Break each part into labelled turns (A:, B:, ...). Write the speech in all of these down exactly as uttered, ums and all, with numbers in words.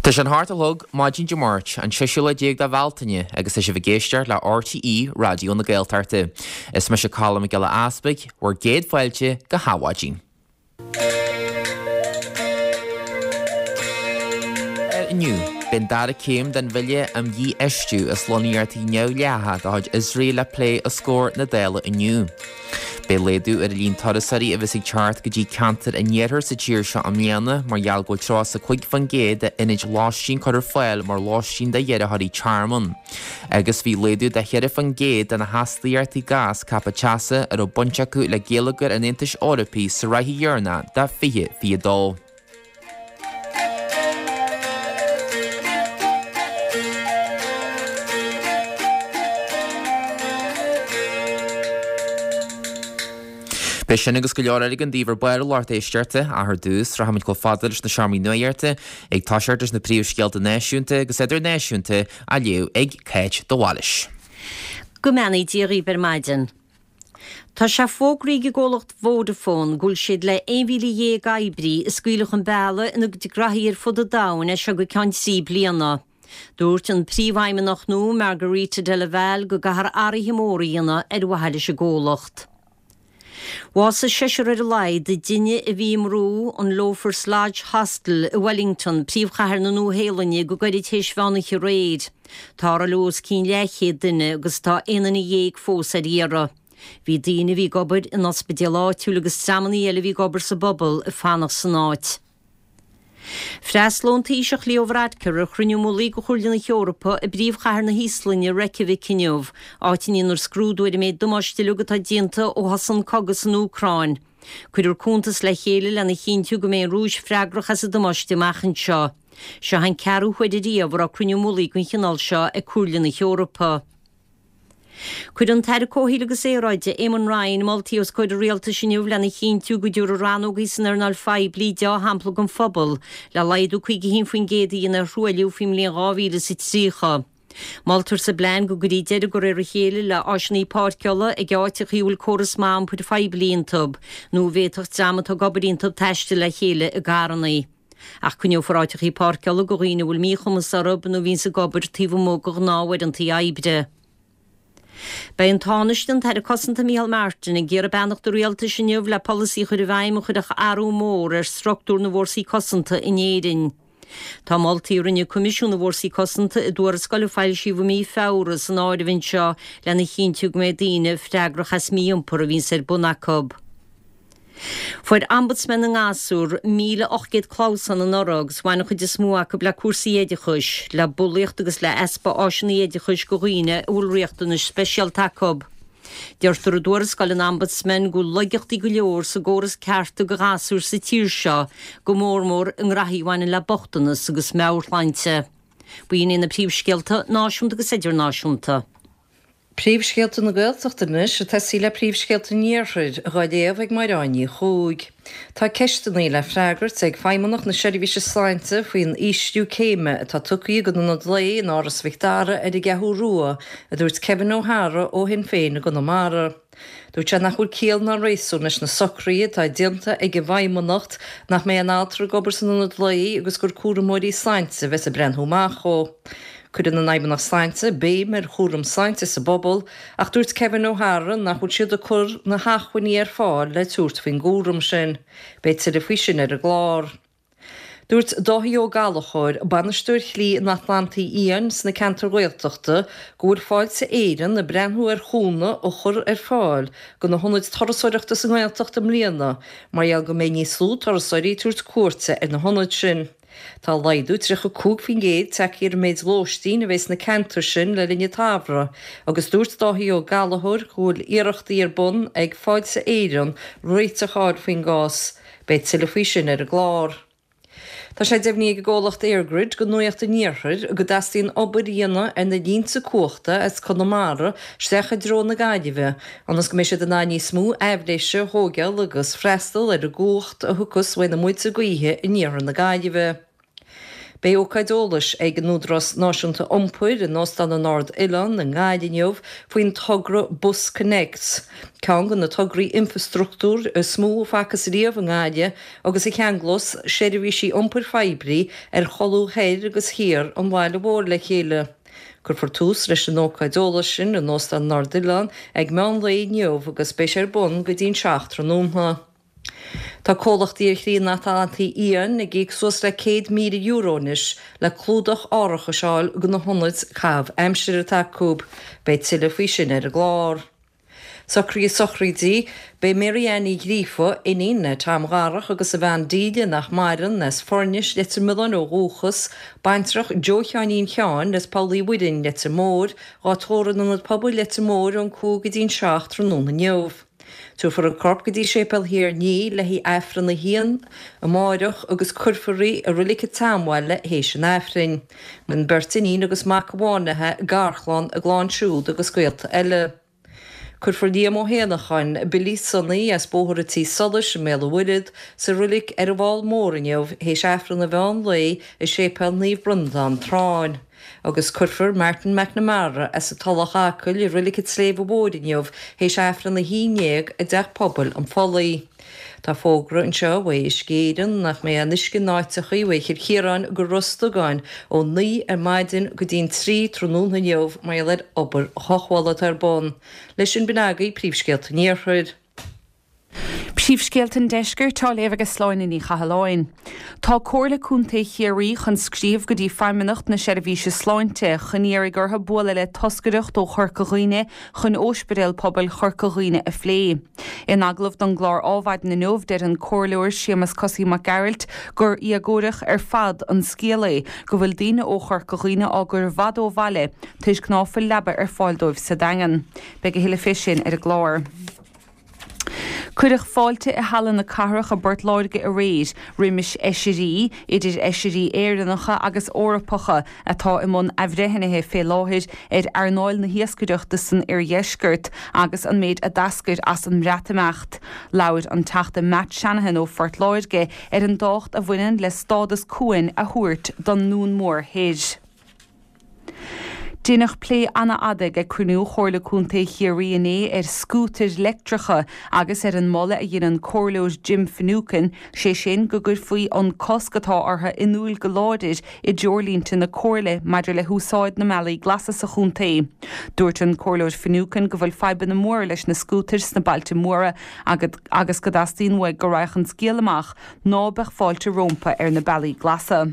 A: Tá sé an hocht a chlog maidin Dé Máirt, an seisiú lá déag de Bhealtaine, agus tá sibh ag éisteacht le RTÉ Raidió na Gaeltachta. Is mise Colm Mac Giolla Easpaig, bhur gcéad fáilte go hAdhmhaidin. Inniu, beidh an dara céim den bhille um dhífheistiú is lonnaíochtaí neamhdhleathacha de chuid Iosrael le plé os comhair na Dála inniu. Beidh laghdú ar an líon turasóirí a bheas ag teacht go dtí ceantair an iarthair sa tír seo i mbliana mar gheall go bhfuil tríocha is a cúig faoin gcéad d'ionaid lóistín curtha ar fáil mar lóistín do iarrthóirí tearmainn. Agus bhí laghdú de cheithre faoin gcéad de na hastaíochtaí gás ceaptha teasa a raibh baint acu le geilleagar an Aontais Eorpaigh sa ráithe dheireanach de fiche fiche dó. Beidh sin agus go leor eile againn daoibh ar ball a lucht éisteachta, ach ar dtús, rachaimid chomh fada leis na seomraí nuachta, ag toiseacht leis na príomhscéalta náisiúnta agus idirnáisiúnta á léamh ag Cáit de Bhailís.
B: Go mbeannaí Dia dhaoibh ar maidin. Tá sé fógraithe ag an gcomhlacht Vodafone go bhfuil siad le aon mhíle dhéag oibrí a scaoileadh chun bealaigh ina gcuid graithí ar fud an domhain as seo go ceann trí bliana. Dúirt an príomhfheidhmeannach nua Margherita Della Valle go gcaithfear athruithe móra a dhéanamh ar mhaithe leis an gcomhlacht. Bhásaigh seisear ar a laghad i dtine a bhí i mbrú an Loafers Lodge Hostel i Wellington, príomhchathair na Nua-Shéalainne, go gairid théis mheán oíche aréir. Tarlaíodh os cionn leathchéad duine agus tá aon duine dhéag fós ar iarraidh. Bhí daoine a bhí ag obair in ospidéal áitiúil agus dreamanna eile a bhí ag obair sa bpobal ag fanacht san áit. Freastalóidh an Taoiseach Leo Varadkar ar chruinniú mullaigh de Chomhairle na hEorpa i bpríomhchathair na hÍoslainne, Reykjavik inniu, áit a ndéanfar scrúdú ar an méid damáiste uilig atá déanta ó thosaigh an cogadh san Úcráin. Cuirfear cuntas le chéile lena chinntiú go mbeidh an Rúis freagrach as an damáiste amach anseo. Seo an ceathrú huair ariamh a raibh cruinniú mullaigh den chineál seo ag Comhairle na hEorpa. Cuirfidh an tAire Comhshaoil agus Aeráide, Eamon Ryan, moltaí os comhair an Rialtais inniu lena chinntiú go dtabharfaidh rannógaí san earnáil phoiblí deá-shampla don phobal le laghdú caoga a haon faoin gcéad a dhéanamh ar thruailliú faoin mbliain dhá mhíle is a tríocha. Moltar sa bplean go gcuirfí deireadh de réir a chéile le áiseanna páirceála ag áiteacha a bhfuil córas maith iompair phoiblí iontu nó a bhféadfadh dream atá ag obair iontu taisteal le chéile i gcarranna. Ach coinneofar áiteacha páirceála do dhaoine a bhfuil míchumas orthu nó a bhíonns ag obair taobh amuigh de ghnáth-uaireanta oibre. Beidh an Tánaiste, an tAire Cosanta Micheál Martin, ag iarraidh beannacht an Rialtais inniu le polasaí a chur i bhfeidhm a chuirfeadh athrú mór ar struchtúr na bhfórsaí cosanta in Éirinn. Tá moltaí a rinne Coimisiún na bhFórsaí Cosanta i dtuarascáil a foilsíodh i mí Feabhra san áireamh anseo lena chinntiú go mbeidh daoine freagrach as mí-iompar a bhíonns ar bun acu. Fuair Ombudsman na nGasúr míle ocht gcéad clamhsán anuraidh agus bhain an chuid is mó acu le cúrsaí oideachais, le bulaíocht agus le easpa áiseanna oideachais do dhaoine a bhfuil riachtanais speisialta acu. Deirtear i dtuarascáil an Ombudsman go bhfuil laigeachtaí go leor sa gcóras cearta do ghasúir sa tír seo, go mór mór i ngraithí a bhaineann le bochtanas agus meabhairshláinte. B'in iad na príomhscéalta náisiúnta agus idirnáisiúnta.
C: Príomhscéalta na Gaeltachta anois, ag tosaí le príomhscéalta an Iarthair, dhá léamh ag Máire Ní Chuaig. Tá ceisteanna le freagairt ag Feidhmeannacht na Seirbhíse Sláinte faoin ísliú céime atá tugtha ag an Ionad Lae in Áras Mhic Dara ar an gCeathrú Rua, a dúirt Kevin O'Hara ó Shinn Féin i gConamara. Dúirt sé nach bhfuil ciall ná réasún leis na socruithe atá déanta ag an bhFeidhmeannacht nach mbeidh aon altra ag obair san ionad lae agus gur cúramóirí sláinte a bheas ag breathnú amach dhó. Cuireann an Fheidhmeannacht Sláinte béim ar chúram sláinte sa bpobal ach dúirt Kevin O'Hara nach bhfuil siad ag cur na hacmhainní ar fáil le tabhairt faoin gcúram sin. Beidh tuilleadh faoi sin ar an gclár. Dúirt Dáithí Ó Gallchóir, bainisteoir Shlí an Atlantaigh Fhiáin sna ceantair Ghaeltachta, go bhfuil Fáilte Éireann ag breathnú ar chúnamh a chur ar fáil do na hionaid turasóireachta sa nGaeltacht i mbliana mar gheall go mbeidh níos lú turasóirí ag tabhairt cuairte ar na hionaid sin. Tá laghdú tríocha cúig faoin gcéad tagtha ar an méid lóistín a bheidh sna ceantair sin le linn an tsamhraidh agus dúirt Dáithí Ó Gallchóir go bhfuil iarrachtaí ar bun ag Fáilte Éireann réiteach a fháil faoin gcás. Beidh tuilleadh faoi sin ar an gclár. Tá sé deimhnithe ag an gcomhlacht EirGrid do Nuacht an Iarthair go dteastaíonn obair a dhéanamh ar na línte cumhachta as Conamara isteach i dtreo na Gaillimhe ionas go mbeidh siad in ann níos mó aibhléise a thóigeáil agus freastal ar an gcumhacht a thiocfas uaidh na muilte gaoithe in iarthar na Gaillimhe. Beidh ócáid eolais ag an Údarás Náisiúnta Iompair in Óstán an Ard Oileán i nGaillimh inniu faoin togra Bus Connects, ceann de na tograí infreastruchtúir is mó a facthas riamh i nGaillimh agus a cheanglós seirbhísí iompair phoiblí ar cholbha thoir agus thiar an bhaile mhóir le chéile. Cuirfear tús leis an ócáid eolais sin in Óstán an Ard Oileán ag meán lae inniu agus beidh sé ar bun go dtí'n seacht tráthnóna. Tá comhlachtaí ar shlí an Atlantaigh Fhiáin ag íoc suas le céad míle euro anois le clúdach árachais a fháil do na hionaid caitheamh aimsire atá acu. Beidh tuilleadh faoi sin ar an gclár. Socruithe sochraide, Beidh Mary Ann Ní Ghríofa, iníon le Tom Dharach agus a bhean Delia nach maireann, as Foirnis, Leitir Mealláin ó dhúchas, baintreach Joe Sheáinín Sheáin as Poll Uí Mhuirinn, Leitir Móir, dhá tórramh in Ionad Pobail Leitir Móir ón cúig go dtí'n seacht tráthnóna inniu. Tabharfar an corp go dtí Séipéal Thír an Fhia le haghaidh Aifreann a haon amáireach agus cuirfear í i Reilig an tSeanbhaile théis an Aifrinn. Maireann beirt iníon agus mac amháin léi, garchlann, a gclann siúd agus gaolta eile. Cuirfear Liam Ó hÉanacháin, Billy Sonny, as Bóthar an Tí Solais i mBéal an Mhuirthead, sa reilig ar an bhFál Mór inniu théis Aifreann an mheán lae i Séipéal Naomh Breandán, Tráinn. Agus cuirfear Martin McNamara as an Tulach Acaill i Reilig an tSléibhe Mhóir inniu théis Aifreann a haon déag i dTeach Pobail an Phollaigh. Tá fógra anseo ó Uisce Éireann nach mbeidh aon uisce in áiteachaí ó Chill Chiaráin go Ros Dugáin ó naoi ar maidin go dtí'n trí tráthnóna inniu mar gheall ar obair chothabhála atá ar bun. Leis sin b'in agaibh príomhscéalta an Iarthair.
D: Príomhscéalta an Deiscirt á léamh ag Sláine Ní Chathalláin. Tá Comhairle Contae Chiarraí chun scríobh go dtí Feidhmeannacht na Seirbhíse Sláinte chun iarraidh orthu bualadh le toscaireacht ó Chorca Dhuibhne chun Ospidéal Pobail Chorca Dhuibhne a phlé. In agallamh don gclár Adhmhaidin inniu deir an Comhairleoir Séamus Cosaí Mac Gearailt gur éagórach ar fad an scéal é go bhfuil daoine ó Chorca Dhuibhne á gcur i bhfad ó bhaile toisc ná fuil leaba ar fáil dóibh sa Daingean. Beidh a thuilleadh fé sin ar an gclár. Cuireadh fáilte i Halla na Cathrach i bPort Láirge aréir roimis fheisirí, idir fheisirí Éireannacha agus Eorpacha atá i mbun athbhreithnithe fé láthair ar earnáil na hiascaireachta san oirdheisceart agus an méid a d'eascair as an mBreatimeacht. Labhair an Teachta Matt Shanahan ó Phort Láirge ar an dtábhacht a bhaineann le stádas cuain a thabhairt don Dún Mór Thoir. Deineadh plé an-fhada ag cruinniú Chomhairle Contae Chiarraí inné ar scútair leictreacha agus ar an moladh a dhein an Comhairleoir Jim Finucane, sé sin go gcuirfí an cosc atá orthu in iúl go láidir i dtreoirlínte na Comhairle maidir le húsáid na mbealaí glasa sa chontae. Dúirt an Comhairleoir Finucane go bhfuil fadhbanna móra leis na scútair sna bailte móra agus go dteastaíonn uaidh go raghadh an scéal amach ná beadh fáilte rompu ar na bealaí glasa.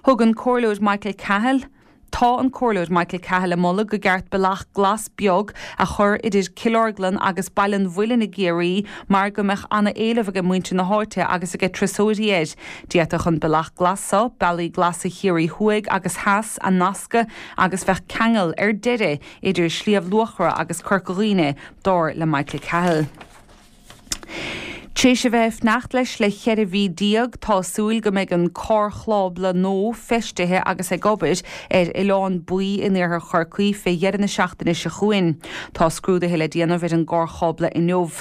D: Thug an Comhairleoir Michael Cahill Tá an Comhairleoir Michael Cahill ag moladh go gceart bealach glas beag a chur idir Cill Orglan agus Baile an Mhuilinn i gCiarraí mar go mbeadh an-éileamh ag muintir na háite agus ag turasóirí air. D'fhéadfadh an bealach glas seo, bealaí glasa Chiarraí Thuaidh agus Theas a nascadh agus bheadh ceangal ar deireadh idir Sliabh Luachra agus Corca Dhuibhne, dar le Michael Cahill. Tréis a bheith ag fanacht leis le ceithre mhí déag, tá súil go mbeidh an carrchábla nua feistithe agus ag obair ar Oileán Baoi in iarthar Chorcaí fé dheireadh na seachtaine seo chugainn. Tá scrúduithe le déanamh ar an gcarrchábla inniu.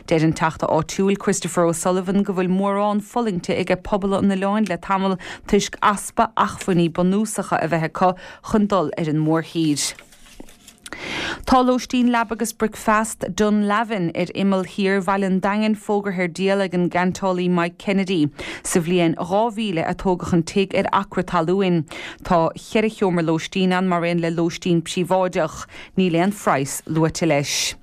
D: Deir an teachta áitiúil Christopher O'Sullivan go bhfuil mórán fulaingte ag pobal an oileáin le tamall toisc easpa acmhainní bunúsacha a bheith acu chun dul ar an mórthír. Tá lóistín leaba agus bricfeasta Dunlavin ar imeall thiar Bhaile an Daingin fógartha ar díol ag an gceantálaí Mike Kennedy. Sa bhliain dhá mhíle a tógadh an tigh ar acra talún. Tá ceithre sheomra lóistín ann mar aon le lóistín príobháideach. Níl aon phraghas luaite leis.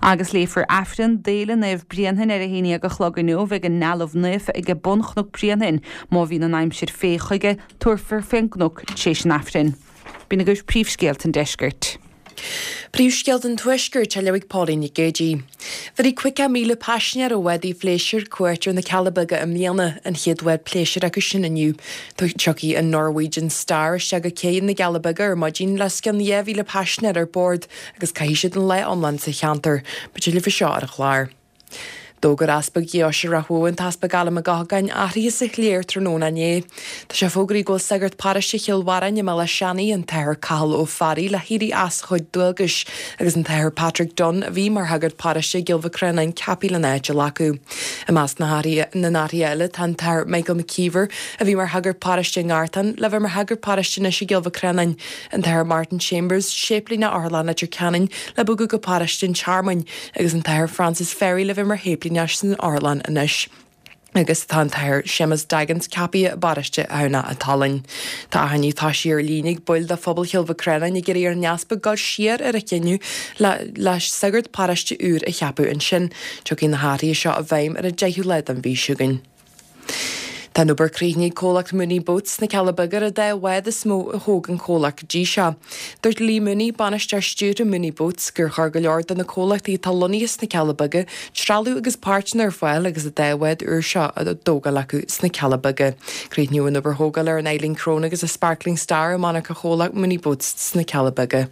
D: Agus léifear Aifreann d'Fhéile Naomh Bréanainn ar a haon déag a chlog inniu ag an nDealbh Naofa ag bun Chnoc Bréanainn. Má bhíonn an aimsir fé chuige, tabharfar fén gcnoc tréis an Aifrinn. B'in agaibh príomhscéalta an deiscirt.
E: Príomhscéalta an Tuaiscirt á léamh ag Pauline Nic Géadaigh. Bhéarfaidh caoga míle paisinéir ó bhádaí phléisiúir cuairt ar na Cealla Beaga i mbliana, an chéad bhád pléisiúir acu sin inniu. Tiocfaidh an Norwegian Star isteach go cé na gCealla Beaga ar maidin le os cionn dhá mhíle paisinéir ar bord agus caithfidh siad an lá iomlán sa cheantar. Beidh tuilleadh faoi seo ar an chlár. D'fhógair Easpag Dheoise Ráth Bhoth an tEaspag Alan Mac Eochagáin athruithe sa chléir tráthnóna inné. Tá sé fógraithe go bhfuil sagart paróiste Chill Bharráin i mBéal Átha Seanaidh, an tAthair Cathal Ó Fearraigh, le héirí as a chuid dualgais agus an tAthair Patrick Dunne, a bhí mar shagart paróiste i gCill Mhic Reanáin, ceaptha lena áit a ghlacadh. I measc na n-athruithe eile tá an tAthair Michael McKeever, a bhí mar shagart paróiste i nGartán, le bheith mar shagart paróiste anois i gCill Mhic Reanáin, an tAthair Martin Chambers, séiplíneach Otharlann Leitir Ceanainn, le bogadh go paróiste an Tearmainn, agus an tAthair Francis Ferry le bheith mar shéiplíneach san otharlann anois. Agus tá an tAthair Séamus Daggins ceaptha i bparóiste Thamhnach an tSalainn. Tá achainí toisithe ar líne ag baill de phobal Chill Mhic Reanáin ag iarraidh ar an Easpag dul siar ar a chinneadh le le sagart paróiste úr a cheapadh ansin. Tiocfaidh na hathruithe seo i bhfeidhm ar an deichiú lá den mhí seo chugainn. Tá an obair críochnaithe ag comhlacht Mooney Boats sna Cealla Beaga ar an dá bhád is mó a thóg an comhlacht go dtí seo. Dúirt Lee Mooney, bainisteoir stiúrtha Mooney Boats, gur chuir go leor de na comhlachtaí atá lonnaithe sna Cealla Beaga trealamh agus páirteanna ar fáil agus an dá bhád úr seo á dtógáil acu sna Cealla Beaga. Críochnaíodh an obair thógála ar an Eileen Crone agus an Sparkling Star i monarcha chomhlacht Mooney Boats sna Cealla Beaga.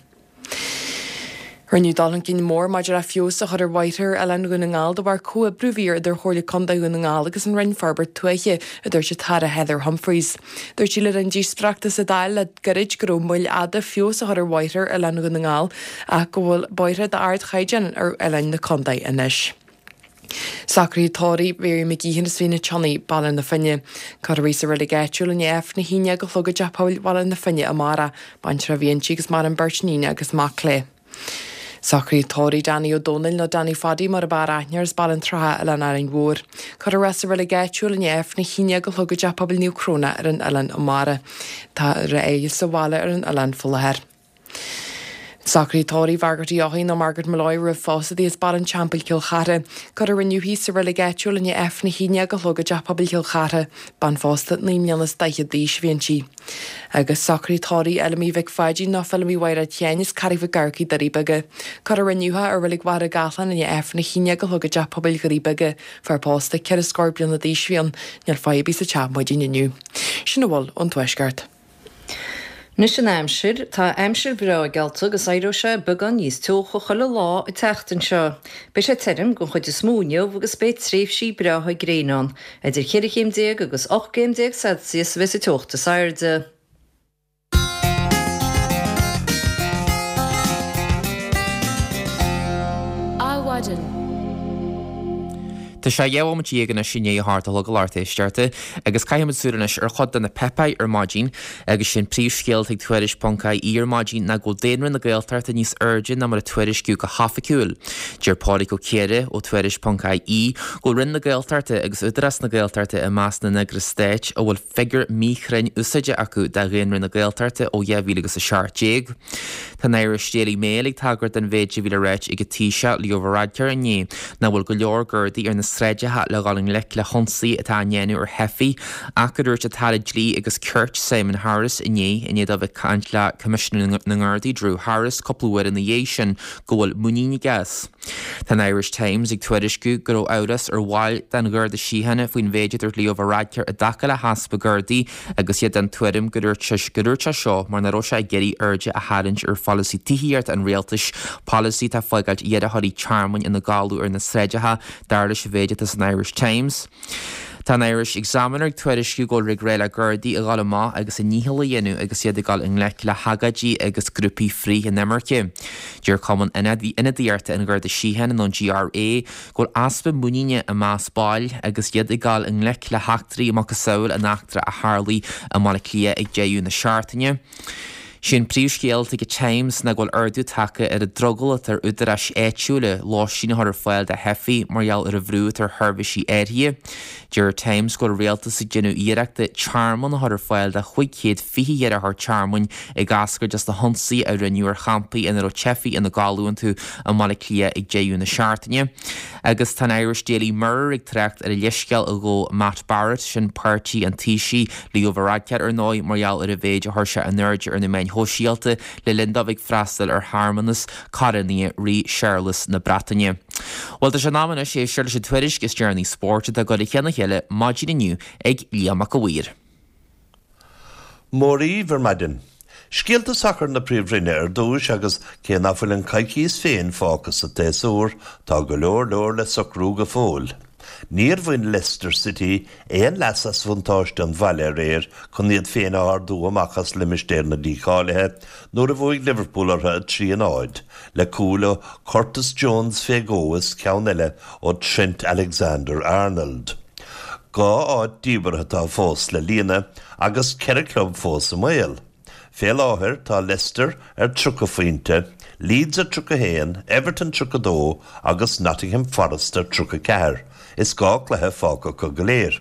E: Rinneadh dul chun cinn mór maidir le feabhas a chur ar bhóithre ar Oileán Dhún na nGall de bharr comhoibriú a bhí idir Chomhairle Contae Dhún na nGall agus an Roinn Forbairt Tuaithe, a dúirt an tAire Heather Humphreys. Dúirt sí le linn díospóireachta sa Dáil le gairid go raibh moill fhada feabhas a chur ar bhóithre ar Oileán Dhún na nGall ach go bhfuil bóithre d'ardchaighdeán ar oileáin na contae anois. Socruithe tórraimh Mary McGeehan as Mín an tSionnaigh, Baile na Finne. Cuirfear í sa reilig áitiúil i ndiaidh Aifreann a haon déag a chlog i dTeach Pobail Bhaile na Finne amárach. Baintreach a bhí inti agus maireann beirt iníon agus mac léi. Socruithe tórraimh Danny Ó Dónaill nó Danny Phaddy mar ab fhearr aithne air as Baile an tSratha, Oileán Árainn Mhór. Cuirfear é sa reilig áitiúil i ndiaidh Aifreann a haon déag a chlog i dTeach Pobail Naomh Cróna ar an oileán amárach. Tá a fhaire sa bhaile ar an oileán faoi láthair. Socruithe tórraimh Mhargaret Uí Eochaidh nó Margaret Molloy roimh phósadh di as Baile an Teampaill, Cill Chartha. Cuirfear inniu í sa reilig áitiúil i ndiaidh Aifreann a haon déag a chlog i dTeach Pobail Chill Chartha. Bean phósta naoi mbliana is daichead d'aois a bhí inti. Agus socruithe tórraimh Fheilimí Mhic Pháidín nó Feilimí Mhaighréad Sheáin as Carraig Mhic Eachmharcaigh, Doirí Beaga. Cuirfear inniu í i reilig Mhachaire Gathlán i ndiaidh Aifreann a haon déag a chlog i dTeach Pobail Dhoirí Beaga. Fear pósta ceithre scór bliana d'aois a bhí ann. Níl faire ar bith sa teach maidin inniu. Sin a bhfuil ón Tuaisceart.
C: Anois an aimsir, tá aimsir bhreá geallta agus éireoidh sé beagán níos teocha chuile lá an tseachtain seo. Beidh sé tirim den chuid is mó inniu agus beidh tréimhsí breátha gréine ann. Idir cheithre chéim déag agus ocht gcéim déag Celsius a bheas an teocht is airde.
F: Adhmhaidin.
A: Tá sé dhá bhomaite déag anois i ndiaidh a hocht a chlog a lucht éisteachta agus caithfimid súil anois ar chuid de na páipéir ar maidin agus sin príomhscéal ag Tuairisc ponc ie ar maidin ná go bhfuil daonra na Gaeltachta níos airde ná mar a tuairisciú go hoifigiúil. Deir Pádraig Ó Ciardha ó Tuairisc ponc ie go bhfuil Roinn na Gaeltachta agus Údarás na Gaeltachta i measc na n-eagras stáit a bhfuil figiúr míchruinn úsáidte acu de dhaonra na Gaeltachta ó dhá mhíle agus a seacht déag. Tá an Irish Daily Mail ag tagairt don mhéid a bhí le ráit ag an Taoiseach Leo Varadkar inné nach bhfuil go leor Gardaí ar na sráideacha le dhul i ngleic le hionsaithe atá á ndéanamh ar theifigh ach go dúirt an tAire Dlí agus Cirt Simon Harris inné i ndiaidh dó bheith ag caint le Coimisinéir na nGardaí Drew Harris cúpla uair ina dhiaidh sin go bhfuil muinín aige as. Tá an Irish Times ag tuairisciú go raibh amhras ar bhaill den Gharda Síochána faoin mhéid a dúirt Leo Varadkar i dtaca le heaspa Gardaí agus iad den tuairim go dúirt sé go dúirt sé seo mar nach raibh sé ag iarraidh aird a tharraingt ar pholasaí tithíochta an rialtais, polasaí atá ag fágáilt iarrthóirí tearmainn ina gcodladh ar na sráideacha, dar leis an mhéid atá san Irish Times. Tá an Irish Examiner ag tuairisciú go bhfuil ag rá le Gardaí a dhul amach agus a ndícheall a dhéanamh agus iad ag dul i ngleic le hagóidí agus grúpaí frith-inimirce. Deir Cumann Ionadaíochta an Gharda Síochána nó an GRA go bhfuil easpa muiníne i measc baill agus iad ag dul i ngleic le heachtraí macasamhail an eachtra a tharlaigh i mBaile Átha Cliath ag deireadh na seachtaine. Sé an príomhscéal ag an Times ná go bhfuil ardú tagtha ar an drogall atá ar údaráis áitiúla lóistín a chur ar fáil do theifigh mar gheall ar an bhrú atá ar sheirbhísí áirithe. Deir Times go bhfuil an rialtas ag déanamh iarrachta tearmann a chur ar fáil do chúig chéad fiche iarrthóir tearmainn ag eascairt as na hionsaithe a rinneadh ar champaí ina raibh teifigh ina gcodladh iontu i mBaile Átha Cliath ag deireadh na seachtaine. Agus tá an Irish Daily Mirror ag trácht ar an leithscéal a ghabh Matt Barrett, sin páirtí an Taoisigh, Leo Varadkar ar ndóigh, mar gheall ar an mhéid a chuir sé in airde ar na meáin shóisialta le linn dó bheith ag freastal ar shearmanas corónaithe Rí Séarlas na Breataine. Bhuel, tá sé in am anois éisteacht leis an tuairisc is deireanaí spóirt atá curtha le chéile maidin inniu ag Liam Mac a' Mhaoir.
G: Mora dhaoibh ar maidin. Scéalta sacair na Príomhroinne ar dtús agus cé nach bhfuil an coicís féin fágtha sa tséasúr, tá go leor leor le socrú go fóill. Níor bhain Leicester City aon leas as bhuntáiste an bhaile aréir chun iad féin a ardú amach as limistéar na dícháilithe nuair a bhuaigh Liverpool orthu a trí a náid, le cúil ó Curtis Jones fé dhó is ceann eile ó Trent Alexander-Arnold. Dhá áit díbeartha atá fós le líonadh agus ceithre chlub fós i mbaol. Fé láthair tá Leicester ar tríocha phointe, Leeds ar tríocha a haon, Everton tríocha dó agus Nottingham Forest ar tríocha ceathair. Is dhá chluiche fágtha acu go léir.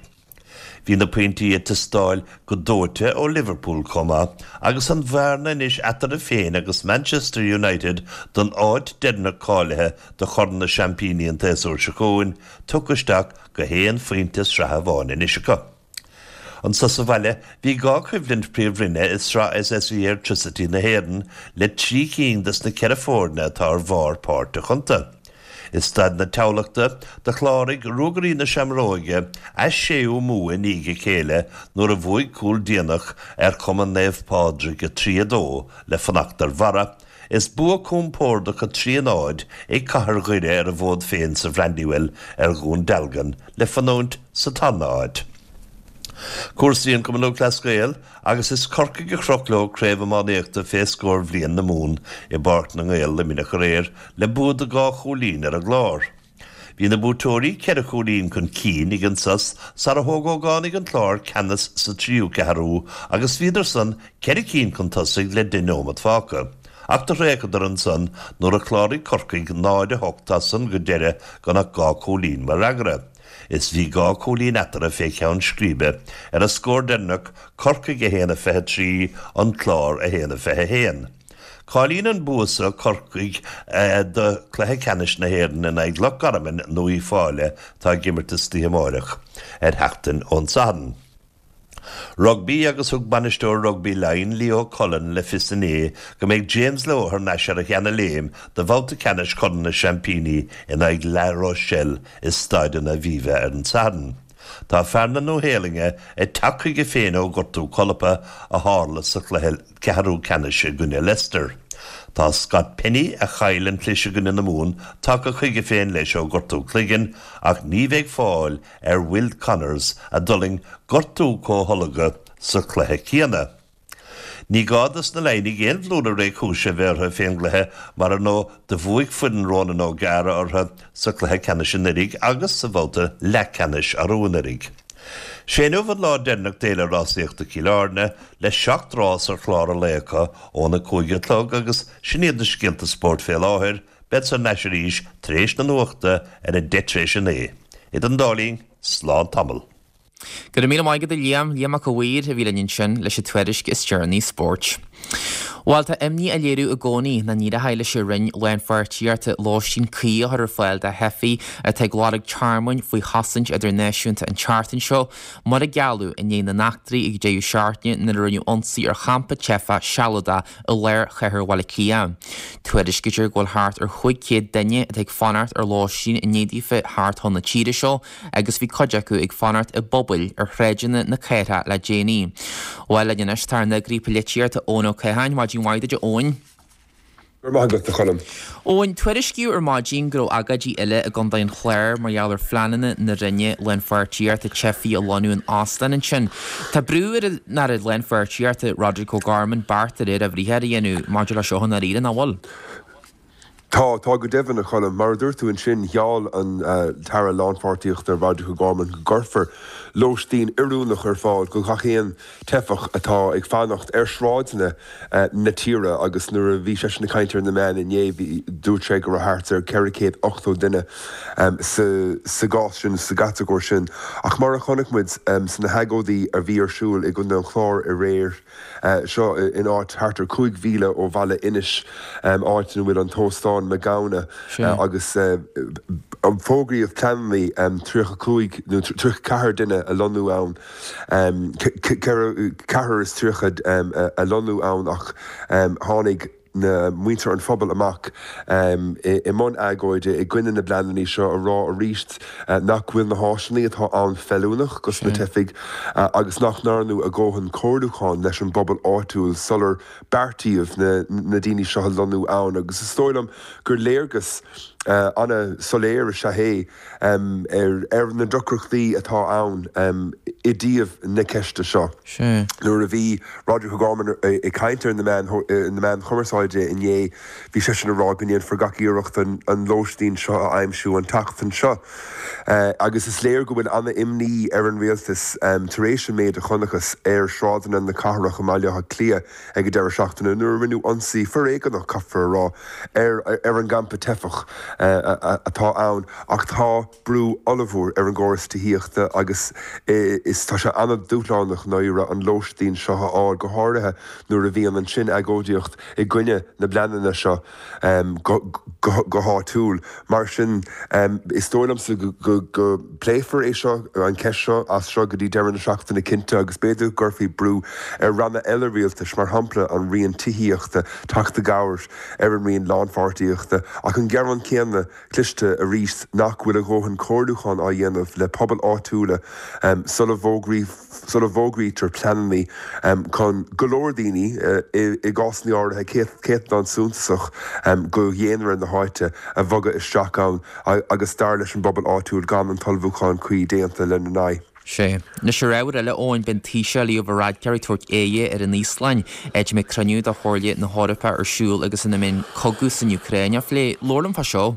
G: Bhí na pointí ag teastáil go dóite ó Liverpool chomh maith agus an bhearna anois eatarthu féin agus Manchester United don áit deireanach cáilithe do Chorn na Seaimpíní an tséasúr seo chugainn tugtha isteach go haon phointe sraithe amháin anois acu. Anso sa bhaile, bhí dhá choimhlint Príomhroinne i Sraith SSE Airtricity na hÉireann le trí cinn des na ceithre foirne atá ar bharr páirteach iontu. I Staid na Thamhlachta, do chláraigh Ruagairí na Seamróige a séú mbua i ndiaidh a chéile nuair a bhuaigh cúl déanach ar Chumann Naomh Pádraig a trí a dó le fanacht ar bharra. Is bua compordach a trí a náid ag Cathair Dhoire ar a bhfód féin sa Bhrandywell ar Dhún Dealgan le fanúint sa tarna háit. Cúrsaí an Chumainn Lúthchleas Gael agus is Corcaigh a chroch leo Craobh Iománaíochta fé scór Bhliain na Mumhan i bPáirc na nGael, Luimneach aréir le bua de dhá chúilín ar an gClár. Bhí na buaiteoirí ceithre chúilín chun cinn ag an sos sara thóg ógánaigh an Chláir ceannas sa tríú ceathrú agus bhíodar san ceithre cinn chun tosaigh le deich nóimeat fágtha. Ach do thraochadar ansan nuair a chláraigh Corcaigh náid a hocht as san go deireadh gan ach dhá chúilín mar fhreagra. Is bhí dhá chúilín eatarthu fé cheann scríbe ar an scór deireanach, Corcaigh a haon a fiche trí, An Clár a haon a fiche a haon. Cáilíonn an bua seo Corcaigh do chluiche ceannais na hÉireann in aghaidh Loch Garman nó Uíbh Fhailí atá ag imirt istoíche amáireach ar sheachtain ón Satharn. Rugbaí agus thug bainisteoir rugbaí Laighean, Leo Cullen, le fios inné go mbeidh James Lowe thar n-ais ar a sheana-léim do bhabhta ceannais Chorn na Seaimpíní in aghaidh La Rochelle i Staid an Aviva ar an Satharn. Tá fear na Nua-Shéalainne ag teacht chuige féin ó ghortú colpa a tharla sa chluiche ceathrú ceannais i gcoinne Leicester. Tá Scott Penny, a chaill an chlis i gcoinne na Mumhan, tagtha chuige féin leis ó ghortú cloiginn ach ní bheidh fáil ar Will Connors a d'fhulaing gortú comhtholgtha sa chluiche céanna. Ní gá dos na Laighnigh aon bhlúire réchúise a bheith orthu fén gcluiche mar ar ndóigh do bhuaigh foireann Ronan O'Gara orthu sa chluiche ceannais anuraidh agus sa bhabhta leathcheannais arú anuraidh. Sé inniu an lá deireanach d'Fhéile Rásaíochta Chill Airne le seacht rás ar chlár an lae acu óna cúig a chlog agus sin iad na scéalta spóirt fé láthair, bead thar n-ais arís tar éis na nuachta ar a deich tar éis a naoi. Idir an dá linn, slán tamall.
A: Go raibh míle maith agat a Liam, Liam Mac a' Mhaoir a bhí linn ansin leis an tuairisc is deireanaí spóirt. Bhuel, tá imní á léiriú i gcónaí nach n-éireoidh leis an Roinn Lánpháirtíochta lóistín cuí a chur ar fáil do theifigh atá ag lorg tearmainn faoi chosaint idirnáisiúnta an tseachtain seo, mar a gealladh i ndiaidh na n-eachtraí ag deireadh seachtaine nuair a rinneadh ionsaí ar champa teifeach sealadach i lár chathair Bhaile Átha Cliath. Tuairiscítear go bhfuil thart ar chúig chéad duine atá ag fanacht ar lóistín i ndiaidh daofa theacht chun na tíre seo agus bhí cuid acu ag fanacht i bpubaill ar shráideanna na cathrach le déanaí. Bhuel, linn anois tá ár n-eagraí polaitíochta Eoin Ó Catháin. Maidin mhaith duit a Eoin.
H: Go raibh maith agat, a Choilm.
A: Eoin, tuairiscíodh ar maidin go raibh agóidí eile i gContae an Chláir mar gheall ar phleananna na Roinne Lánpháirtíochta teifigh a lonnú in óstáin ansin. Tá brú ar an Aire Lánpháirtíochta Roderic O'Gorman beart de réir a bhriathair a dhéanamh maidir le seo i ndáiríre, nach bhfuil?
H: Tá, tá go deimhin, a Choilm. Mar a dúirt tú ansin, gheall an tAire Lánpháirtíochta Roderic O'Gorman go gcuirfear lóistín oiriúnach ar fáil go gach aon teifeach atá ag fanacht ar shráideanna na tíre agus nuair a bhí seisean ag caint ar na meáin inné, bhí, dúirt sé go raibh thart ar ceithre chéad ochtó duine sa, sa gcás sin, sa gcatagóir sin. Ach mar a chonaic muid sna hagóidí a bhí ar siúl i gContae an Chláir aréir, seo in áit thart ar cúig mhíle ó bhaile Inis, áit ina bhfuil an t-óstán Magowna, agus fógraíodh pleananna tríocha cúig nó tríocha ceathair duine a lonnú ann, ceathrar is tríocha a lonnú ann ach tháinig. na muintir an phobail amach i mbun agóide i gcoinne na bpleananna seo a rá arís nach bhfuil na háiseanna atá ann feiliúnach dos na teifigh agus nach ndearnadh a dhóthain comhairliúcháin leis an bpobal áitiúil sular beartaíodh na daoine seo a lonnú ann agus is dóigh liom gur léargas an-soiléir is ea é ar na deacrachtaí atá ann i dtaobh na ceiste seo. Nuair a bhí Roderic O'Gorman ag caint ar na meáin chumarsáide inné, bhí seisean ag rá go ndéanfar gach iarracht an lóistín seo a aimsiú an tseachtain seo. Agus is léir go bhfuil an-imní ar an rialtas tar éis an méid a chonacthas ar shráideanna na cathrach i mBaile Átha Cliath ag an deireadh seachtaine nuair a rinneadh ionsaí foréigeanach, caithfear a rá, ar an gcampa teifeach atá ann. Ach tá brú ollmhór ar an gcóras tithíochta agus is tá sé an-dúshlánach ndáiríre an lóistín seo a fháil, go háirithe nuair a bhíonn ansin agóidíocht i gcoinne na bpleananna seo go háitiúil. Mar sin, is dóigh liomsa go bpléifear é seo, an cheist seo, as seo go dtí deireadh na seachtaine cinnte agus b'fhéidir go gcuirfí brú ar ranna eile rialtais, mar shampla an Roinn Tithíochta, teacht i gcabhair ar an Roinn Lánpháirtíochta. Ach an gearán céanna cloiste arís nach bhfuil a dhóthain comhairliúchán á dhéanamh le pobail áitiúla sula sula bhfógraítear pleananna chun go leor daoine, i gcásanna áirithe céatadán suntasach de dhaonra na háite, a bhogadh isteach ann agus dar leis an bpobal áitiúil gan an t-ullmhúchán cuí déanta lena n-aghaidh.
A: Sea. Anois ar ábhar eile, Eoin, beidh an Taoiseach Leo Varadkar ag tabhairt aghaidhe ar an Íoslainn, áit a mbeidh cruinniú de Chomhairle na hEorpa ar siúl agus ina mbeidh an cogadh san Úcráin á phlé. Labhair liom fá seo.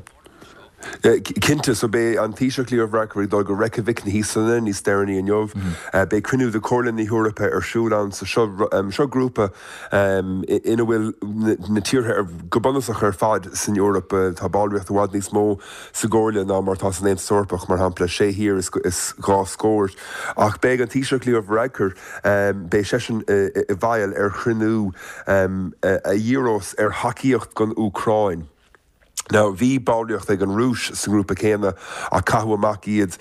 H: Cinnte, so beidh an Taoiseach Leo Varadkar ag dul go Reykjavik na hÍoslainne níos deireanaí inniu. Beidh cruinniú de Chomhairle na hEorpa ar siúl ann. So seo seo grúpa ina bhfuil na tíortha go bunúsach ar fad san Eoraip. Tá ballraíocht i bhfad níos mó sa gComhairle ná mar atá san Aontas Eorpach, mar shampla, sé thír is dhá scór. Ach beidh an Taoiseach Leo Varadkar, beidh seisean i bhfeighil ar chruinniú a dhíreos ar thacaíocht don Úcráin. Now, bhí ballraíocht ag an Rúis sa ngrúpa céanna ach caitheadh amach iad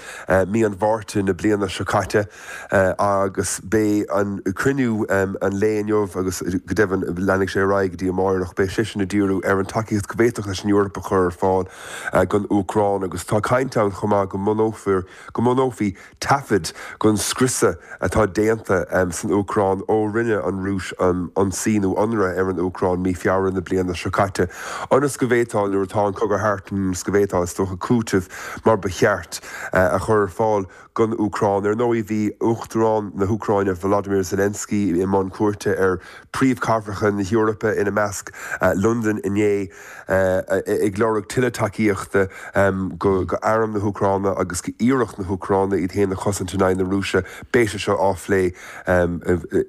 H: mí an Mhárta na bliana seo caite agus beidh an cruinniú an lae inniu agus go deimhin leanfaidh sé ar aghaidh go dtí amáireach, beidh sé sin ag díriú ar an tacaíocht go bhféadfadh leis an Eoraip a chur ar fáil don Úcráin agus tá caint ann chomh maith go mbunófar go mbunófaí taifead den scriosadh atá déanta san Úcráin ó rinne an Rúis ionsaí nó ionradh ar an Úcráin mí Feabhra na bliana seo caite, ionas go bhféadfá, nuair atá an cogadh thart, ionas go bhféadfá, is dócha, cúiteamh mar ba cheart a chur ar fáil don Úcráin. Ar ndóigh, bhí Uachtarán na hÚcráine, Volodymyr Zelensky, i mbun cuairte ar phríomhchathracha na hEorpa, ina measc Londain, inné, ag lorg tuilleadh tacaíochta go arm na hÚcráine agus go iarracht na hÚcráine iad féin a chosaint in aghaidh na Rúise. Beidh sé seo á phlé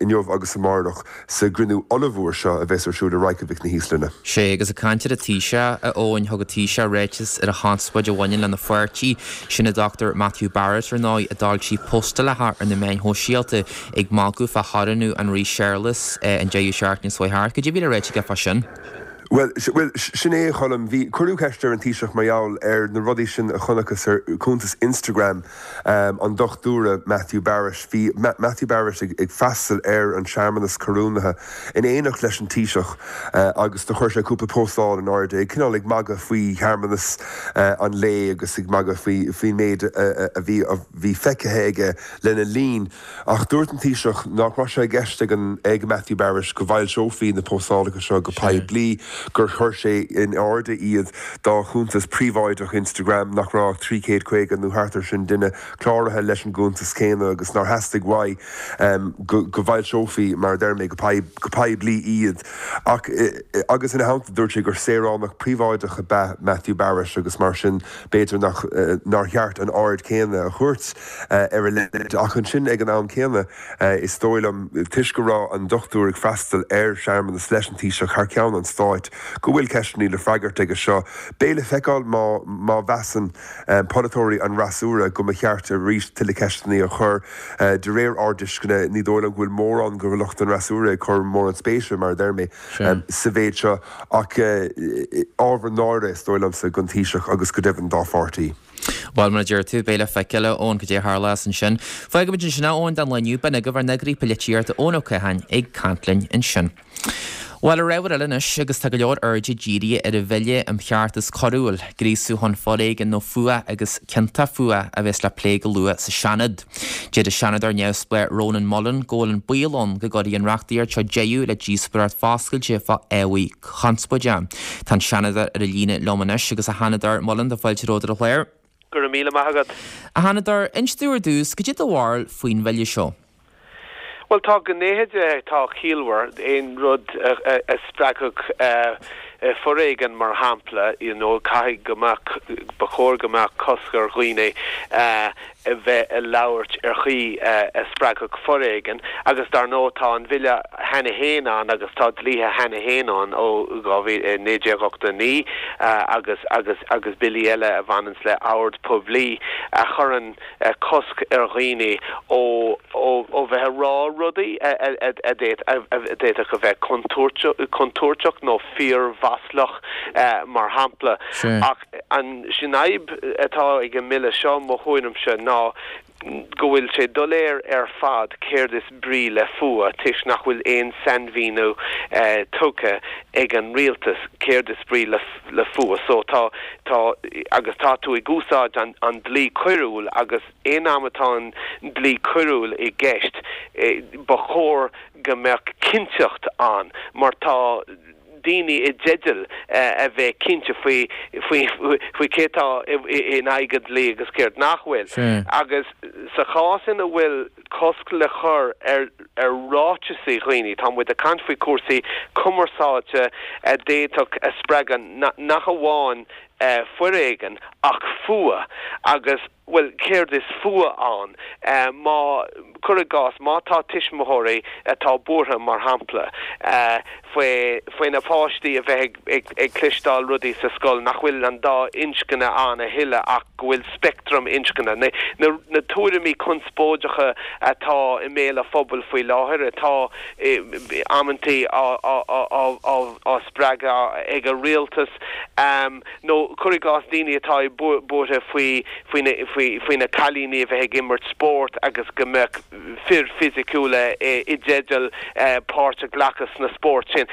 H: inniu agus amárach sa gcruinniú ollmhór seo a bheas ar siúl i Reykjavik na hÍoslainne.
A: Sea, agus ag caint ar an Taoiseach, a Eoin, thug an Taoiseach ráiteas ar an chonspóid a bhaineann lena pháirtí, sin an Dochtúir Matthew Barrett, ar ndóigh, a d'fhoilsigh postálacha ar na meáin shóisialta ag magadh fá chorónú an Rí Séarlas an deireadh seachtaine seo thart. Cad é a bhí le ráite aige fá sin?
H: Bhuel, bhuel, sin é, a Choilm. Bhí, cuireadh ceist ar an Taoiseach mar gheall ar na rudaí sin a chonacthas ar chuntas Instagram an Dochtúra Matthew Barrett. Bhí Matthew Barrett ag, ag freastal ar an searmanas corónaithe in éineacht leis an Taoiseach agus do chuir sé cúpla postáil in airde, ag cineál ag magadh faoi shearmanas an lae agus ag magadh faoi, faoin méid a, a bhí, a bhí feicthe aige lena linn. Ach dúirt an Taoiseach nach raibh sé i gceist ag an, ag Matthew Barrett go bhfoilseofaí na postálacha seo go poiblí, gur chuir sé in airde iad dá chuntas príobháideach Instagram, nach raibh ach trí chéad caoga nó thart ar sin duine cláraithe leis an gcuntas céanna agus nár theastaigh uaidh go bhfoilseofaí, mar a deir mé, go poiblí iad. Ach agus ina theannta dúirt sé gur saoránach príobháideach ab ea Matthew Barrett agus mar sin b'fhéidir nach nár cheart an aird chéanna a thabhairt ar a leithéid. Ach ansin ag an am céanna is dóigh liom, toisc go raibh an dochtúir ag freastal ar shearmanas leis an Taoiseach thar ceann an stáit, go bhfuil ceisteanna le freagairt aige seo. Beidh le feiceáil má má mheasann polaiteoirí an fhreasúra go mba cheart arís tuilleadh ceisteanna a chur. De réir ár dtuisceana, ní dóigh liom go bhfuil mórán de lucht an fhreasúra ag cur mórán spéise, mar a deir mé, sa mhéid seo ach ábhar náire, is dóigh liomsa, don Taoiseach agus go deimhin dá pháirtí.
A: Bhuel, mar a deir tú, beidh le feiceáil, a Eoin, cad é a tharlós ansin. Fágfaimid ansin é, Eoin, don lá inniu. B'in agaibh ár n-eagraí polaitíochta, Eoin Ó Catháin, ag caint linn ansin. Bhuel, ar ábhar eile anois, agus tá go leor airde dírithe ar an Bhille um Cheartas Coiriúil, gríosú chun foréigin nó fuath agus cionta fuatha a bheas le plé go luath sa Seanad. Deir an Seanadóir neamhspleách Rónán Mullen go bhfuil an baol ann go gcuirfidh an reachtaíocht seo deireadh le díospóireacht foscailte fá ábhair chonspóideacha. Tá an Seanadóir ar an líne liom anois agus a Sheanadóir Mullen tá fáilte romhat ar an chlár.
I: Go raibh míle maith agat.
A: A Sheanadóir, inis dúinn ar dtús, cad é do bharúil faoin bhille seo.
I: Bhuel, tá gnéithe de atá ciallmhar, aon rud a spreagfadh foréigean mar shampla, you know, caithfidh go mbeadh, ba chóir go mbeadh cosc ar dhaoine a bheith ag labhairt ar chaoi a spreagfadh foréigean. Agus dar ndóigh tá an bhille cheana féin ann agus tá dlíthe cheana féin ann ó dhá mhíle, naoi déag ochtó a naoi agus agus agus billí eile a bhaineanns le ord poiblí a chuireann cosc ar dhaoine ó ó bheith ag rá rudaí a d'fhéadfadh a bheith contúirteach nó fíormhaslach, mar shampla. Ach an sin fhadhb atá ag an mbille seo, mo thuairimse, ná go bhfuil sé doiléir ar fad céard is brí le fuath toisc nach bhfuil aon sainmhíniú tugtha ag an rialtas céard is brí le le fuath. So tá, tá, agus tá tú ag úsáid an, an dlí coiriúil agus aon am atá an dlí coiriúil i gceist ba chóir go mbeadh cinnteacht ann mar tá daoine i dteideal a bheith cinnte faoi faoi faoi cé atá in aghaidh an dlí agus céard nach bhfuil. Agus sa chás ina bhfuil cosc le cur ar ar ráiteasaí dhaoine, tá muid ag caint faoi cúrsaí cumarsáide a d'fhéadfadh a spreagadh nach amháin foréigean ach fuath agus, bhuel, céard is fuath ann? Má, cuir i gcás, má tá tuismitheoirí atá buartha, mar shampla, faoi, faoi na páistí a bheith ag, ag cloisteáil rudaí sa scoil nach bhfuil an dá inscne ann a thuilleadh ach go bhfuil speictream inscne, na, na, na tuairimí conspóideacha atá i mbéal an phobail faoi láthair, atá amantaí á, á, á, á, á spreagadh ag an rialtas, nó cuir i gcás daoine atá buartha faoi faoi na cailíní a bheith ag imirt spóirt agus go mbeadh fir fisiciúla i dteideal páirt a ghlacadh sna spóirt sin.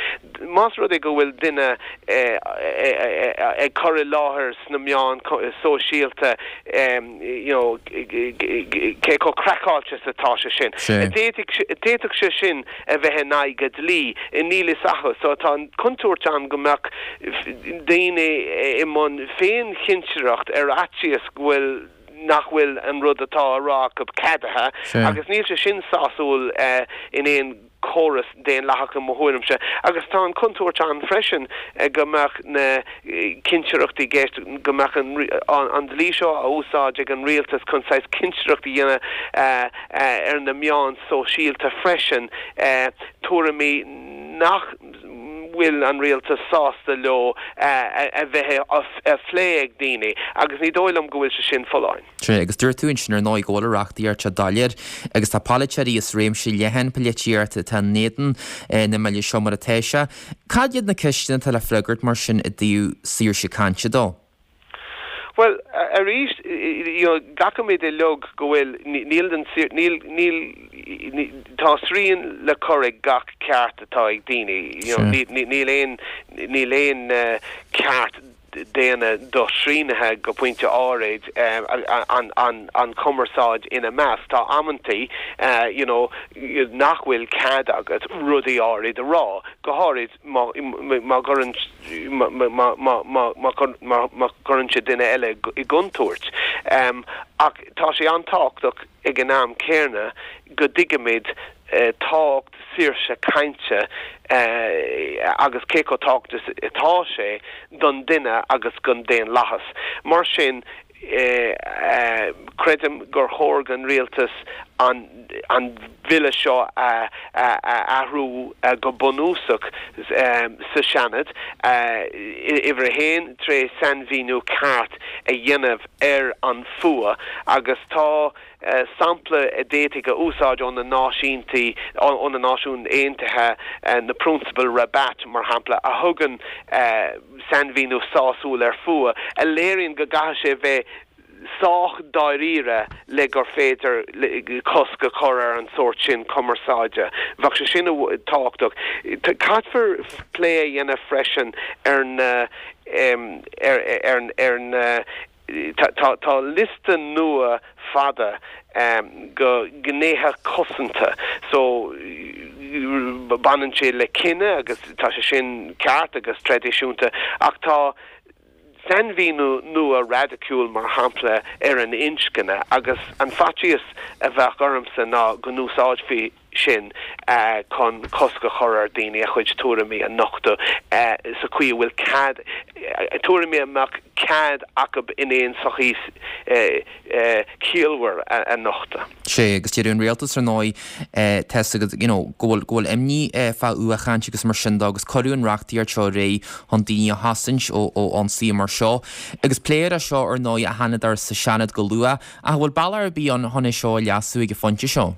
I: Más rud é go bhfuil duine ag cur i láthair sna meáin sóisialta you know cé chomh craiceáilte is atá sé sin, d'fhéadfadh sé sin a bheith in aghaidh an dlí, níl fhios acu. So tá an chontúirt ann go mbeadh daoine i mbun féinchinsireacht ar fhaitíos go bhfuil nach bhfuil an rud atá á rá acu ceadaithe agus níl sé sin sásúil in aon chóras daonlathach i mo thuairimse. Agus tá an chontúirt ann freisin go mbeadh na cinsireachtaí i gceist, go mbeadh an dlí seo á úsáid ag an rialtas chun saghas cinsireacht a dhéanamh ar na meáin sóisialta freisin, tuairimí nach bhfuil an rialtas sásta leo a bheith á phlé ag daoine agus ní dóigh liom go bhfuil sé sin folláin.
A: Sea, agus dúirt tú ansin ar ndóigh go bhfuil an reachtaíocht seo doiléir agus tá polaiteoirí as réimse leathan polaitíochta atá in éadan na mbillí seo mar atá sé. Cad iad na ceisteanna atá le freagairt mar sin i dtaobh saoirse cainte dó?
I: Bhuel, arís, you know, glacaimid uilig go bhfuil, níl an, níl, níl, tá srian le cur ag gach ceart atá ag daoine, you know, níl, níl aon, níl aon ceart daonna doshrianaithe go pointe áirid, an, an, an chumarsáid ina measc. Tá amantaí, you know, nach bhfuil cead agat rudaí áirid a rá, go háirid má, má chuireann, má chuireann sé duine eile i gcontúirt. Ach tá sé an-tábhachtach ag an am céanna go dtuigimid tábhacht saoirse cainte agus cé chomh tábhachtach is atá sé don duine agus don daonlathas. Mar sin, Creidim gur chóir don rialtas an bille seo a athrú go bunúsach sa Seanad, uimhir a haon, tré sainmhíniú ceart a dhéanamh ar an fuath agus tá sampla a d'fhéadfaí a úsáid ó na Náisiúntaí, ó na Náisiúin Aontaithe, na Prionsabail Rabat, mar shampla, a thugann sainmhíniú sásúil ar fuath, a léiríonn go gcaithfidh sé bheith sách dáiríre le gur féidir cosc a chur ar an sórt sin cumarsáide. Bheadh sé sin tábhachtach. Caithfear plé a dhéanamh freisin ar na ar ar ar na tá tá liosta nua fada de ghnéithe cosanta so baineann sé le cine agus tá sé sin ceart agus traidisiúnta ach tá sainmhíniú nua raidiciúil mar shampla ar an inscne agus an faitíos a bheadh ormsa ná go n-úsáidfí sin chun cosc a chur ar daoine a chuid tuairimí a nochtadh sa chaoi a bhfuil cead tuairimí a mbeadh cead acu in aon sochaí ciallmhar a nochtadh.
A: Sé agus deir an rialtas ar ndóigh tá agat you know, go bhfuil go bhfuil imní fá fhuathchaint agus mar sin de agus cuireadh an reachtaíocht seo ar aghaidh chun daoine a chosaint ó ó ionsaí mar seo. Agus pléifear é seo ar ndóigh a Sheanadóir sa Seanad go luath ach bhfuil bealach ar bith ann chun é seo a leasú ag an phointe seo.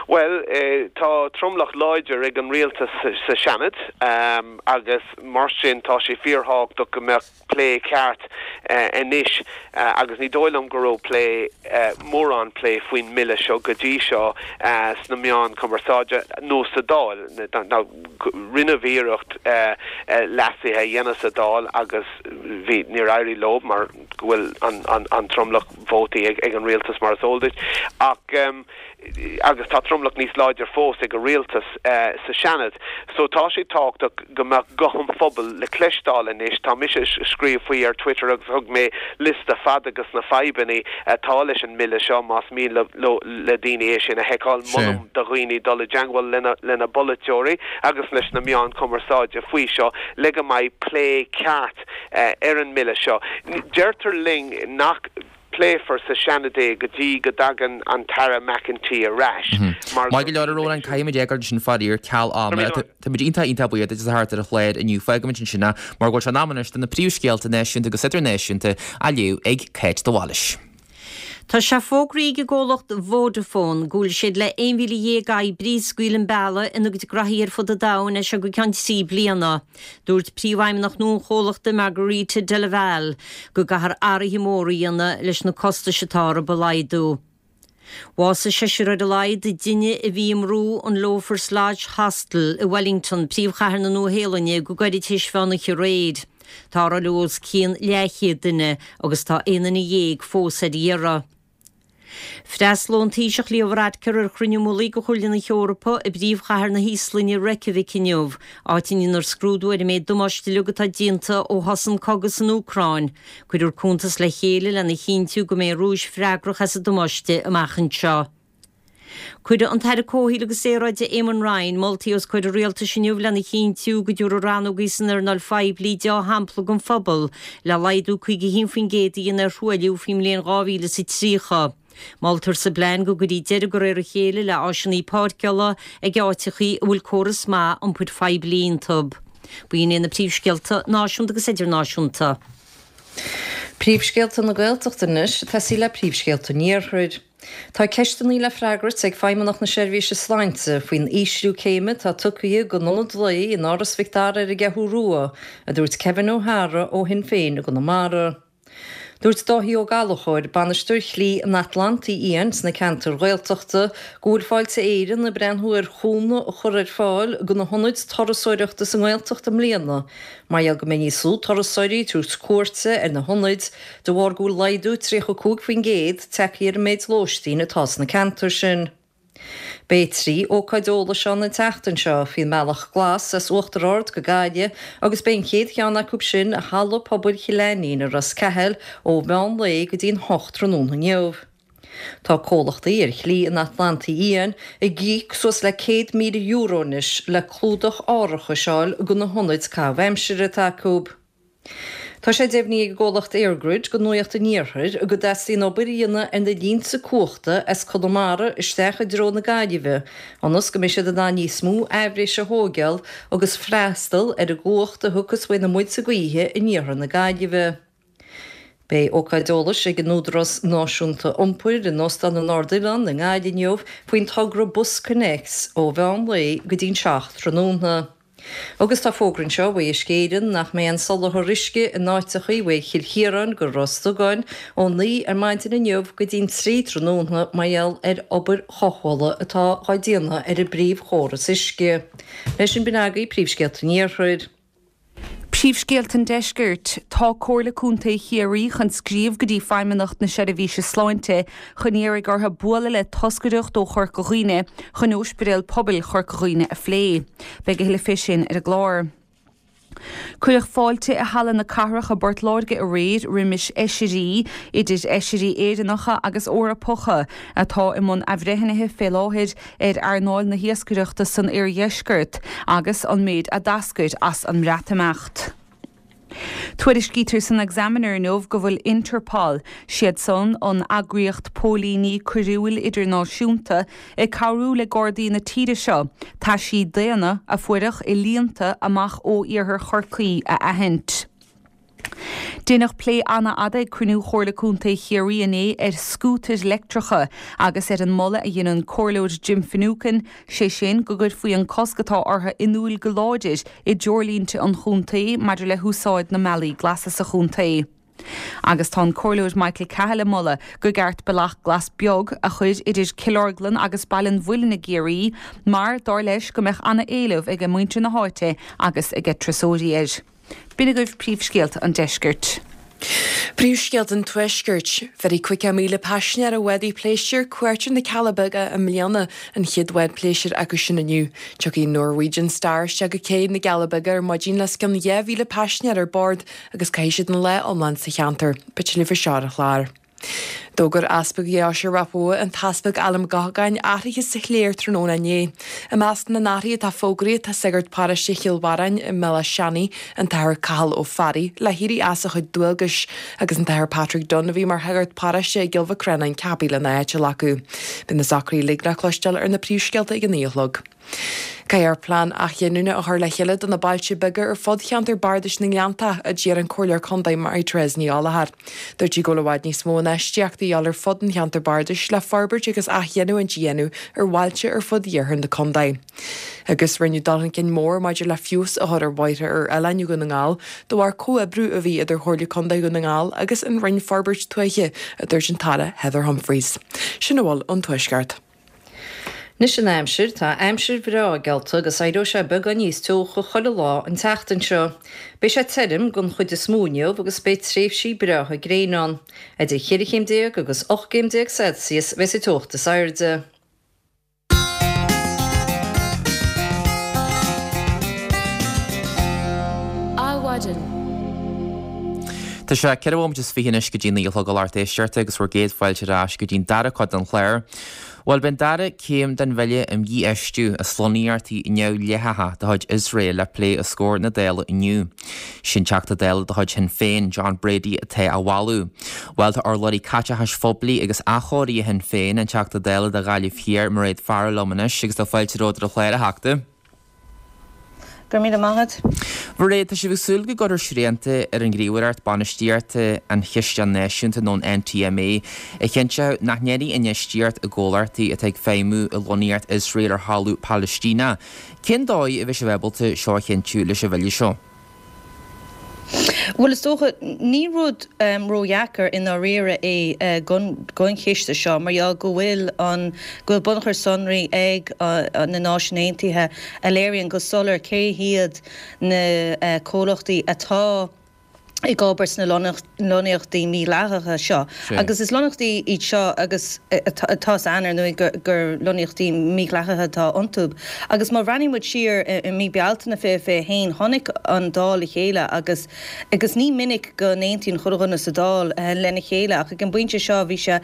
I: Well, eh, tá tromlach láidir ag an rialtas sa Seanad um, agus mar sin tá sé fíorthábhachtach go mbeadh plé ceart uh, anois uh, agus ní dóigh liom go raibh plé uh, mórán plé faoin mbille seo go dtí seo uh, sna meáin cumarsáide nó sa Dáil rinneadh iarracht uh, uh, leasuithe a dhéanamh sa Dáil agus bhí níor éirigh leo mar go bhfuil an, an, an tromlach vótaí ag, ag an rialtas mar is eol duit ach um, agus tá tromlach níos láidir fós ag an rialtas uh, sa Seanad. So tá sé tábhachtach go mbeadh guth an phobail le cloisteáil anois tá mise ag scríobh faoi ar Twitter agus thug mé liosta fada de na fadhbanna atá leis an mbille seo más mian le, le, le daoine é sin a fheiceáil molaim do dhaoine dul i dteagmháil lena, lena bpolaiteoirí agus leis na meáin cumarsáide faoi seo le go mbeidh plé ceart uh, ar an mbille seo. Deirtear linn nach bpléifear sa Seanad é go dtí go dtagann an tAire McEntee ar ais.
A: Maith go leor an caithfimid fágáil sin faraor ceal ama Tá muid iontach iontach buíoch duit as a theacht ar an chlár inniu fágfaimid ansin é mar go bhfuil sé in am anois do na príomhscéalta náisiúnta agus idirnáisiúnta á léamh ag Kate de Bhailís.
B: Tá sé fógraithe ag an gcomhlacht Vodafone go bhfuil siad le aon mhíle dhéag oibrí a scaoileadh an bealach ina gcuid gnoithí ar fud an domhain as seo go ceann trí bliana. Dúirt príomhfheidhmeannach nua an chomhlachta Margherita Della Valle go gcaithfear athruithe móra a dhéanamh leis na costais atá orthu a laghdú. Bhásaigh seisear ar a laghad duine a bhí i mbrú an Loafers Lodge Hostel i Wellington, príomhchathair na Nua-Shéalainne go gairid tar éis mheán oíche aréir. Tá os cionn leathchéad duine agus tá aon duine dhéag fós ar iarraidh. Freastalóidh an Taoiseach Leo Varadkar ar chruinniú mullaigh de Chomhairle na hEorpa i bpríomhchathair na hÍoslainne Reykjavik inniu, áit a ndéanfar scrúdú ar an méid damáiste uilig atá déanta ó thosaigh an cogadh san Úcráin. Cuirfear cuntas le chéile lena chinntiú go mbeidh an Rúis freagrach as an damáiste amach anseo. Cuirfidh an tAire Comhshaoil agus Aeráide Eamon Ryan moltaí os comhair an rialtais inniu lena chinntiú go dtabharfaidh rannógaí san earnáil phoiblí dea-shampla don phobal le laghdú caoga a haon faoin gcéad a dhéanamh ar thruailliú faoin mbliain dhá mhíle is a tríocha. Moltar sa bplean go gcuirfí deireadh de réir a chéile le áiseanna páirceála ag áiteachaí a bhfuil córas maith iompair phoiblí iontu. B'in iad na príomhscéalta náisiúnta agus idirnáisiúnta.
C: Príomhscéalta na Gaeltachta anois, tosaí le príomhscéalta an Iarthair. Tá ceisteanna le freagairt ag Feidhmeannacht na Seirbhíse Sláinte faoin ísliú céime atá tugtha don ionad lae in Áras Mhic Dara ar an gCeathrú Rua, a dúirt Kevin O'Hara ó Shinn Féin i gConamara. Dúirt Dáithí Ó Gallchóir, bainisteoir Shlí an Atlantaigh Fhiáin sna ceantair Ghaeltachta, go bhfuil Fáilte Éireann ag breathnú ar chúnamh a chur ar fáil do na hionaid turasóireachta sa nGaeltacht i mbliana, mar gheall go mbeidh níos lú turasóirí ag tabhairt cuairte ar na hionaid de bharr go bhfuil laghdú tríocha cúig faoin gcéad tagtha ar an méid lóistín atá sna ceantair sin. Beidh trí ócáid eolais ann an tseachtain seo faoin mBealach Glas as Uachtar Ard go Gaillimh agus beidh an chéad cheann acu sin i Halla Pobail Chill Ainnín i Ros Cathail ó mheán lae go dtí'n hocht tráthnóna inniu. Tá comhlachtaí ar Shlí an Atlantaigh Fhiáin ag íoc suas le céad míle euro anois le clúdach árachais a fháil do na hionaid caitheamh aimsire atá acu. Tá sé deimhnithe ag an gcomhlacht EirGrid do Nuacht an Iarthair go dteastaíonn obair a dhéanamh ar na línte cumhachta as Conamara isteach i dtreo na Gaillimhe ionas go mbeidh siad in ann níos mó aibhréise a thógáil agus freastal ar an gcumhacht a thiocfas uaidh na muilte gaoithe in iarthar na Gaillimhe. Beidh ócáid eolais ag an Údarás Náisiúnta Iompair in Óstán an Ard-Oileán i nGaillimh inniu faoin togra BusConnects ó mheán lae go dtí'n seacht tráthnóna. Agus tá fógra anseo ó Uisce Éireann nach mbeidh aon soláthar uisce in áiteachaí uaidh Chill Chiaráin go Ros Dugáin ó naoi ar maidin inniu go dtí'n trí tráthnóna mar gheall ar obair chothabhála atá dhá déanamh ar an bpríomhchóras uisce. Leis sin b'in agaibh príomhscéalta an Iarthair.
D: Príomhscéalta an Deiscirt, Tá Comhairle Contae Chiarraí chun scríobh go dtí Feidhmeannacht na Seirbhíse Sláinte chun iarraidh orthu bualadh le toscaireacht ó Chorca Dhuibhne chun Ospidéal Pobail Chorca Dhuibhne a phlé. Beidh a thuilleadh fé sin ar an gclár. Cuireadh fáilte i Halla na Cathrach i bPort Láirge aréir roimis fheisirí, idir fheisirí Éireannacha agus Eorpacha, atá i mbun athbhreithnithe fé láthair ar earnáil na hiascaireachta san oirdheisceart agus an méid a d'eascair as an mBreatimeacht. Tuairiscítear san Examiner inniu go bhfuil Interpol, siad san an eagraíocht póilíní coiriúil idirnáisiúnta, ag cabhrú le Gardaí na tíre seo taisí daonna a fuaireadh i líonta amach ó iarthar Chorcaí a aithint. Deineadh plé an-fhada ag cruinniú Chomhairle Contae Chiarraí inné ar scútair leictreacha agus ar an moladh a dhein an Comhairleoir Jim Finucane, sé sin go gcuirfí an cosc atá orthu in iúl go láidir i dtreoirlínte an chontae maidir le húsáid na mbealaí glasa sa chontae. Agus tá an Comhairleoir Michael Cahill ag moladh go gceart bealach glas beag a chur idir Cill Orglan agus Baile an Mhuilinn i gCiarraí mar, dar leis, go mbeadh an-éileamh ag muintir na háite agus ag turasóirí air. B'in agaibh príomhscéalta an deiscirt.
E: Príomhscéalta an Tuaiscirt. Bhéarfaidh caoga míle paisinéir ar bhádaí pléisiúir cuairt ar na Cealla Beaga i mbliana, an chéad bhád pléisiúir acu sin inniu. Tiocfaidh Norwegian Star isteach go cé na gCealla Beaga ar maidin le os cionn dhá mhíle paisinéir ar bord agus caithfidh siad an lá iomlán sa cheantar. Beidh tuilleadh faoi seo ar an chlár. D'fhógair Easpag Dheoise Ráth Bhoth, an tEaspag Alan Mac Gabhann, athruithe sa chléir tráthnóna inné. I measc na n-athruithe atá fógraithe tá sagart paróiste Chill Bharráin i mBealach Seanaidh, an tAthair Cathal Ó Fearraigh, le héirí as a chuid dualgais, agus an tAthair Patrick Dunne a bhí mar shagart paróiste i gCill Mhic Reanáin ceaptha lena áit a ghlacadh. Beidh na socruithe uilig le cloisteáil ar na príomhscéalta ag a naoi a chlog. Caithfear plean athghiniúna a chur le chéile do na bailte beaga ar fud cheantar bardais na nGleanntach, a deir an Comhairleoir Contae Mary-Therese Ní Ghallchóir. Dúirt sí go bhfuil i bhfad níos mó infheistíochta a dhíobháil ar fud an cheantair bardais le forbairt agus athghiniúint a dhéanamh ar bhailte ar fud iarthar na contae. Agus rinneadh dul chun cinn mór maidir le feabhas a chur ar bhóithre ar oileáin Dhún na nGall de bharr comhoibriú a bhí idir Chomhairle Contae Dhún na nGall agus an Roinn Forbairt Tuaithe, a dúirt an tAire Heather Humphreys. Sin a bhfuil ón Tuaisceart.
C: Anois an aimsir, tá aimsir bhreá geallta agus éireoidh sé beagán níos teocha chuile lá an tseachtain seo. Beidh sé tirim den chuid is mó inniu agus beidh tréimhsí breátha gréine ann. Idir cheithre chéim déag agus ocht gcéim déag Celsius a bheas an teocht is airde.
F: Adhmhaidin.
A: Tá sé ceithre bhomaite is fiche anois go dtí naoi a chlog a lucht éisteachta agus bhur gcéad fáilte ar ais go dtí'n dara cuid den chlár. Bhuel, beidh an dara céim den bhille um dhífheistiú as lonnaíochtaí neamhdhleathacha de chuid Iosrael le plé os comhair na Dála inniu. Sin Teachta Dála de chuid Shinn Féin, John Brady, atá á mholadh. Bhuel, tá urlabhraí caiteachais phoiblí agus athchóirithe Shinn Féin, an Teachta Dála do Ghaillimh Thiar, Mairéad Farrell liom anois agus tá fáilte romhat ar an chlár, a Theachta.
J: Go raibh míle maith agat.
A: Mairéad, tá sibh ag súil go gcuirfear srianta ar an ghníomhaireacht bainistíochta an Chisteáin Náisiúnta nó an NTMA a chinnteoidh nach ndéanfaí infheistíocht i gcomhlachtaí atá ag feidhmiú i lonnaíocht Iosrael ar thalamh Palaistíneach. Cén dóigh a bheidh sibh ábalta seo a chinntiú leis an bhille seo?
J: Bhuel, is dócha, ní rud ródheacair i ndáiríre é don chiste seo mar gheall go bhfuil an, go bhfuil bunachar sonraí ag na Náisiúin Aontaithe a léiríonn go soiléir cé hiad na comhlachtaí atá ag obair sna lonnaíochtaí mídhleathacha seo. Agus is lonnaíochtaí iad seo agus tá 's againn ar ndóigh gur lonnaíochtaí mídhleathacha atá iontu. Agus má bhreathnaíonn muid siar i mí Bealtaine fiche fiche a haon, tháinig an Dáil le chéile agus agus ní minic go n-aontaíonn chuile dhuine sa Dáil lena chéile ach ag an bpointe seo bhí sé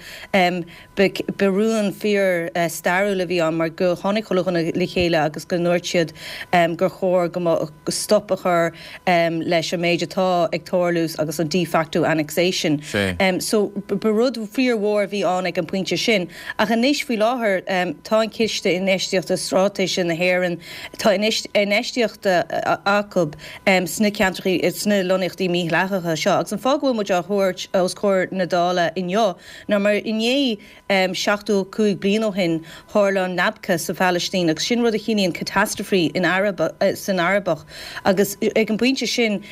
J: ba rún fíor stairiúil a bhí ann mar go tháinig chuile dhuine le chéile agus go ndúirt siad gur chóir go stop a chur leis an méid atá ag tarlú. tharlú agus an de facto annexation. So ba rud fíormhór a bhí ann ag an bpointe sin. Ach anois faoi láthair tá an Ciste Infheistíochta Straitéise na hÉireann, tá infheistíochta acu sna ceantracha, sna lonnaíochtaí mídhleathacha seo. Agus an fáth go bhfuil muid á thabhairt os comhair na Dála inniu ná mar inné seachtó cúig bliain ó shin tharla an Nakba sa Phalaistín agus sin rud a chiallaíonn catastrophe in san Arabach agus ag an bpointe sin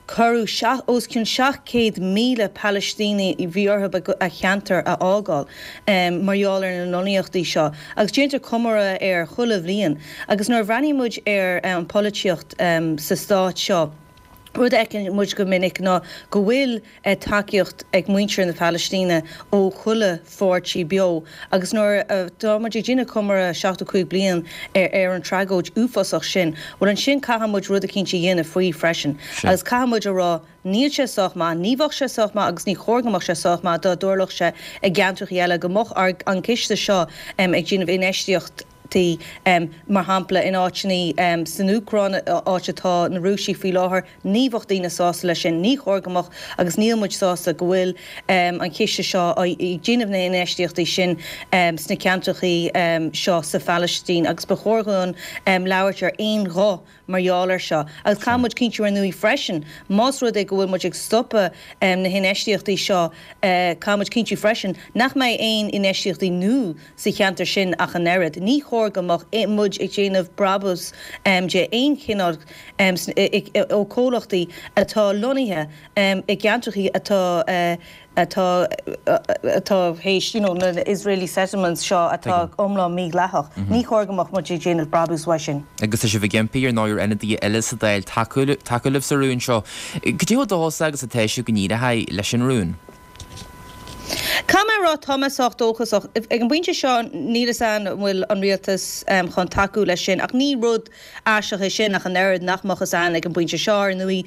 J: cuireadh os cionn seacht gcéad míle Palaistíní bhí orthu a cheantar a fhágáil mar gheall ar na lonnaíochtaí seo agus déantar comóradh air chuile bhliain agus nuair a bhreathnaíonn muid ar an pholaitíocht sa stát seo rud a fheiceann muid go minic ná go bhfuil tacaíocht ag muintir na Palaistíne ó chuile pháirtí beo agus nuair atá muid ag déanamh comóradh seachtó cúig bliain ar an tragóid uafásach sin, bhuel ansin caithfidh muid rud eicínt a dhéanamh faoi freisin agus caithfidh muid a rá níl sé sách maith, ní bheadh sé sách maith agus ní chóir go mbeadh sé sách maith dá dtarlódh sé i gceantracha eile go mbeadh an ciste seo ag déanamh infheistíocht tí, mar shampla in áiteanna san Úcráin, áit atá na Rúisigh faoi láthair, ní bheadh daoine sásta leis sin, ní chóir go mbeadh agus níl muid sásta go bhfuil an ciste seo ag déanamh na hinfheistíochtaí sin sna ceantracha seo sa Phalaistín agus ba chóir dhúinn labhairt ar aon ghuth mar gheall air seo. Agus caithfidh muid cinntiú ar ndóigh freisin, más rud é go bhfuil muid ag stopadh na hinfheistíochtaí seo, caithfidh muid cinntiú freisin nach mbeidh aon infheistíochtaí nua sa cheantar sin ach an oiread. Ní chóir go mbeadh muid ag déanamh brabús de aon chineál ó chomhlachtaí atá lonnaithe i gceantracha atá atá atá théis you know na Israeli settlements seo atá iomlán mídhleathach. Ní chóir go mbeadh muid ag déanamh brabús uaidh sin.
A: Agus tá sibh ag impí ar ndóigh ar ionadaithe eile sa Dáil tacú tacú libh sa rún seo. Cad é chomh dóchasach agus atá sibh go n-éireoidh leis an rún?
J: Caithfidh mé a rá, tá mé sách dóchasach. Ag an bpointe seo níl fhios a'm an bhfuil an rialtas chun tacú leis sin ach ní rud aisteach é sin ach an oiread nach mbeadh fhios a'inn ag an bpointe seo. Ar ndóigh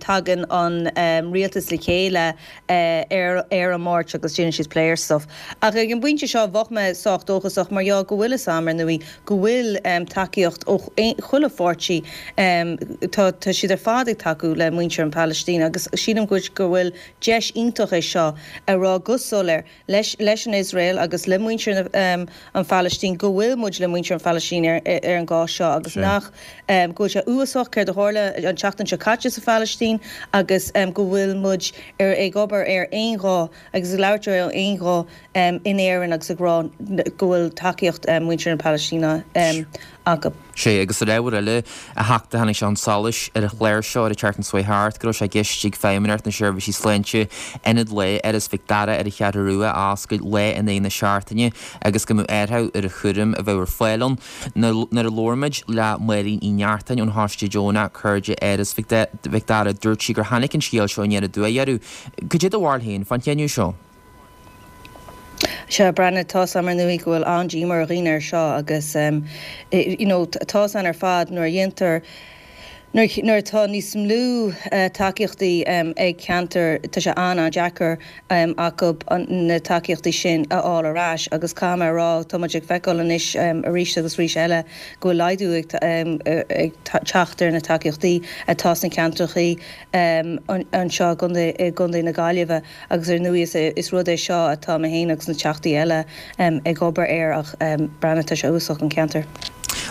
J: tagann an rialtas le chéile ar ar an Máirt agus déanann siad plé ar stuff. Ach ag an bpointe seo bheadh mé sách dóchasach mar gheall go bhfuil fhios a'm ar ndóigh go bhfuil tacaíocht ó chuile pháirtí tá tá siad ar fad ag tacú le muintir an Phalaistín agus sílim go go bhfuil deis iontach é seo a rá go soiléir leis leis an Iosrael agus le muintir na an Phalaistín go bhfuil muid le muintir an Phalaistín ar ar an gcás seo agus nach go bhfuil sé uafásach céard a tharla an tseachtain seo caite sa Phalaistín agus go bhfuil muid ar ag obair ar aon ghuth agus ag labhairt ar aon ghuth in Éirinn agus ag rá go bhfuil tacaíocht muintir na Palaistíne acu.
A: Sea, agus ar ábhar eile, a Theachta, tháinig sé chun solais ar an chlár seo ar an tseachtain seo chuaigh thart go raibh sé i gceist ag Feidhmeannacht na Seirbhísí Sláinte ionad lae Áras Mhic Dara ar an Cheathrú Rua a oscailt lá in aghaidh na seachtaine agus go mbeadh árthach ar an chúram a bheadh ar fáil ann. Nuair a labhair muid le Máirín Uí Neachtain ón Choiste Deonach Cairde Áras Mhic Dara dúirt sí gur tháinig an scéal seo aniar aduaidh orthu. Cad é do bharúil féin fán chinneadh seo?
J: Sea, Breandán, tá's a'm ar ndóigh go bhfuil an-díomá ar dhaoine ar seo agus you know tá's a'inn ar fad nuair a dhéantar, nuair atá níos lú tacaíochtaí ag ceantar tá sé an-an-deacair acu na tacaíochtaí sin a fháil ar ais agus caithfidh mé a rá tá muid ag feiceáil anois arís agus arís eile go bhfuil laghdú ag teacht ar na tacaíochtaí atá sna ceantrachaí anseo i gContae na Gaillimhe agus ar ndóigh is rud é seo atá mé féin agus na Teachtaí eile ag obair air ach Breandán tá sé uafásach don cheantar.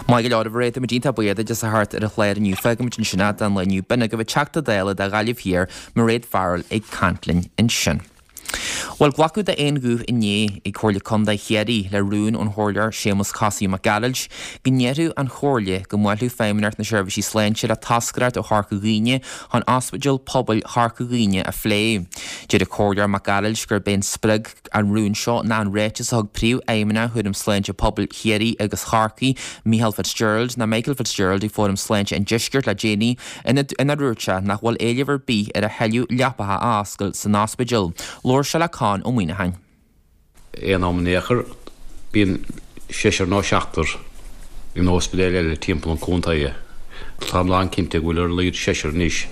A: Maith go leor, a Mhairéad, táimid iontach buíoch duit as a theacht ar an chlár inniu. Fágfaimid ansin é don lá inniu. B'in agaibh an Teachta Dála do Ghaillimh Thiar, Mairéad Farrell ag caint linn ansin. Bhuel, glacadh d'aon ghuth inné ag Comhairle Contae Chiarraí le rún ón Chomhairleoir Séamus Cosaí Mac Gearailt go ndéarfadh an Chomhairle go mbuailfeadh Feidhmeannacht na Seirbhísí Sláinte le toscaireacht ó Chorca Dhuibhne chun Ospidéal Pobail Chorca Dhuibhne a phlé. Deir an Comhairleoir Mac Gearailt gurb é a spreag an rún seo ná an ráiteas a thug Príomhfheidhmeannach Chúram Sláinte Pobail Chiarraí agus Chorcaí, Micheál Fitzgerald, ná Michael Fitzgerald ag Fóram Sláinte an Deiscirt le déanaí inar dhúirt sé nach bhfuil éileamh ar bith ar a thuilleadh leapacha a oscailt san ospidéal. Labhair sé le Conn Ó Muíneacháin.
K: Aon am in aon chor, bíonn seisear nó seachtar in ospidéil eile timpeall an chontae. Táim lán cinnte go bhfuil ar a laghad seisear anois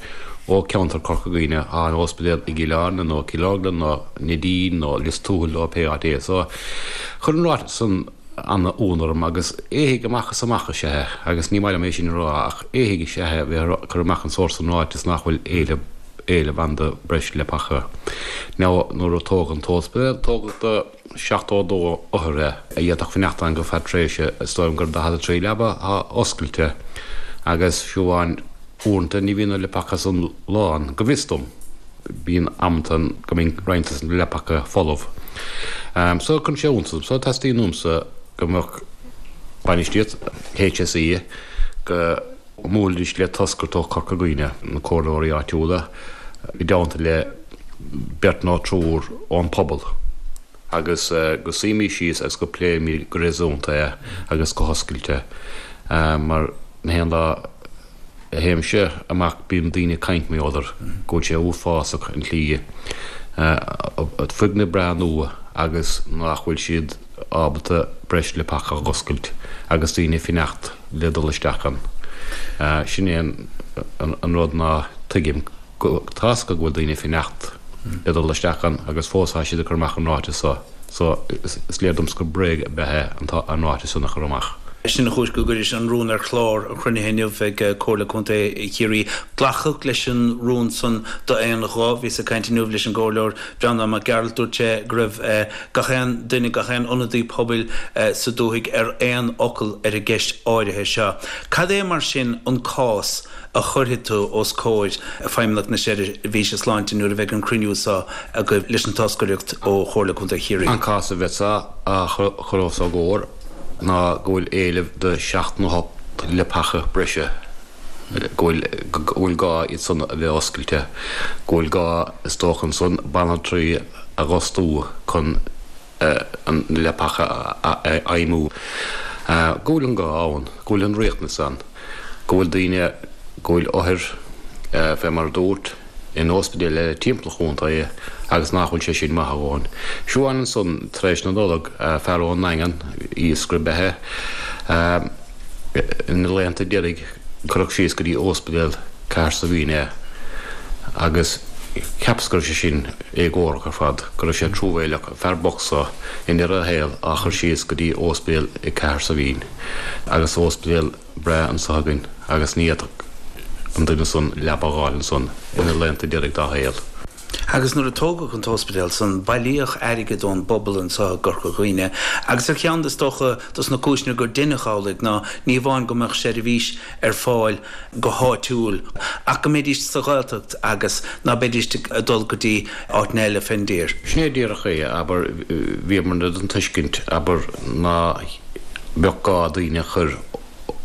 K: ó cheantar Chorca Dhuibhne atá in ospidéal i gCill Airne nó Cill Orglan nó Neidín nó Lios Tuathail nó pé áit é. So, chuir an ráiteas san an-ionadh orm agus éithigh amach is amach is ea é agus ní maith liom é sin a rá ach éithigh is ea é a bheith ag cur amach an sórt san ráiteas nach bhfuil éileamh éileamh ann do breis leapacha. Now nuair a tógadh an t-ospidéal, tógadh do seachtó a dó othar é, a d'fhéadfadh fanacht ann go feadh tréimhse, is dóigh liom gur daichead a trí leaba atá oscailte agus fiú amháin uaireanta ní bhíonn na leapacha san lán, go bhfios dom. Bíonn amanta go mbíonn roinnt de na leapacha folamh. So cuireann sé iontas orm. So teastaíonn uaimse go mbeadh bainistíocht HSE go mbuailfidís le toscaireacht ó Chorca Dhuibhne, na comhairleoirí áitiúla, i dteannta le beirt nó triúr ón pobal agus go suímís síos agus go pléimid go réasúnta é agus go hoscailte mar na haon lá a théimse amach bíonn daoine ag caint mar gheall air go bhfuil sé uafásach an tslí foirgneamh breá nua agus nach bhfuil siad ábalta breis leapacha a dh'oscailt agus daoine ag fanacht le dul isteach ann. Sin é an rud ná tuigim. Tá's acu go bhfuil daoine ag fanacht le dul isteach ann agus fós tá siad ag cur amach an ráiteas so. So is léir domsa gur bréag ab ea é an ráiteas san a chur amach.
L: Sin an chúis gur cuireadh an rún ar chlár an chruinnithe inniu ag Comhairle Contae Chiarraí. Glacadh leis an rún san d'aon ghuth. Bhíos ag caint inniu leis an gComhairleoir Breandán Mac Gearailt. Dúirt sé go raibh gach aon duine, gach aon ionadaí pobail sa dúthaigh ar aon fhocal ar an gceist áirithe seo. Cad é mar sin an cás a chuirfidh tú os comhair Feidhmeannacht na Seirbhíse Sláinte nuair a bheidh an cruinniú seo agaibh leis an toscaireacht ó Chomhairle Contae Chiarraí?
K: An cás a bheas á chur os a gcomhair ná go bhfuil éileamh do seacht nó ocht leapacha breise, go bhfuil go bhfuil gá iad san a bheith oscailte, go bhfuil gá is dócha ansan banaltraí a dh'fhostú chun na leapacha a fheidhmiú, go bhfuil an gá ann, go bhfuil an riachtanas ann, go bhfuil daoine, go bhfuil othair, fé mar a dúrt, in ospidéil eile timpeall an chontae agus nach bhfuil sé sin maith a dhóthain. Fiú amháin ansan tar éis na Nollag, fear ón nDaingean, iascaire ab ea é, ina laethanta deiridh cuireadh síos go dtí ospidéal Cathair Saidhbhín é agus cheapas go raibh sé sin éagórach ar fad, go raibh sé truamhéileach, an fear bocht so i ndeireadh a shaoil á chur síos go dtí ospidéal i gCathair Saidhbhín agus ospidéal breá anso againn agus ní fhéadfadh an duine san leaba a dh'fháil ansan ina laethanta deiridh dá shaol.
L: Agus nuair a tógadh an t-ospidéal san, bailíodh airgead ón bpobal anso i gCorca Dhuibhne. Agus ar cheann, is dócha, dos na cúiseanna gur deineadh amhlaidh ná ní amháin go mbeadh seirbhís ar fáil go háitiúil, ach go mbeidís sa Ghaeltacht agus ná beidís ag dul go dtí áiteanna eile fén dtír.
K: Sin é díreach é, abair, bhíomarna den tuiscint, abair, ná beadh gá daoine a chur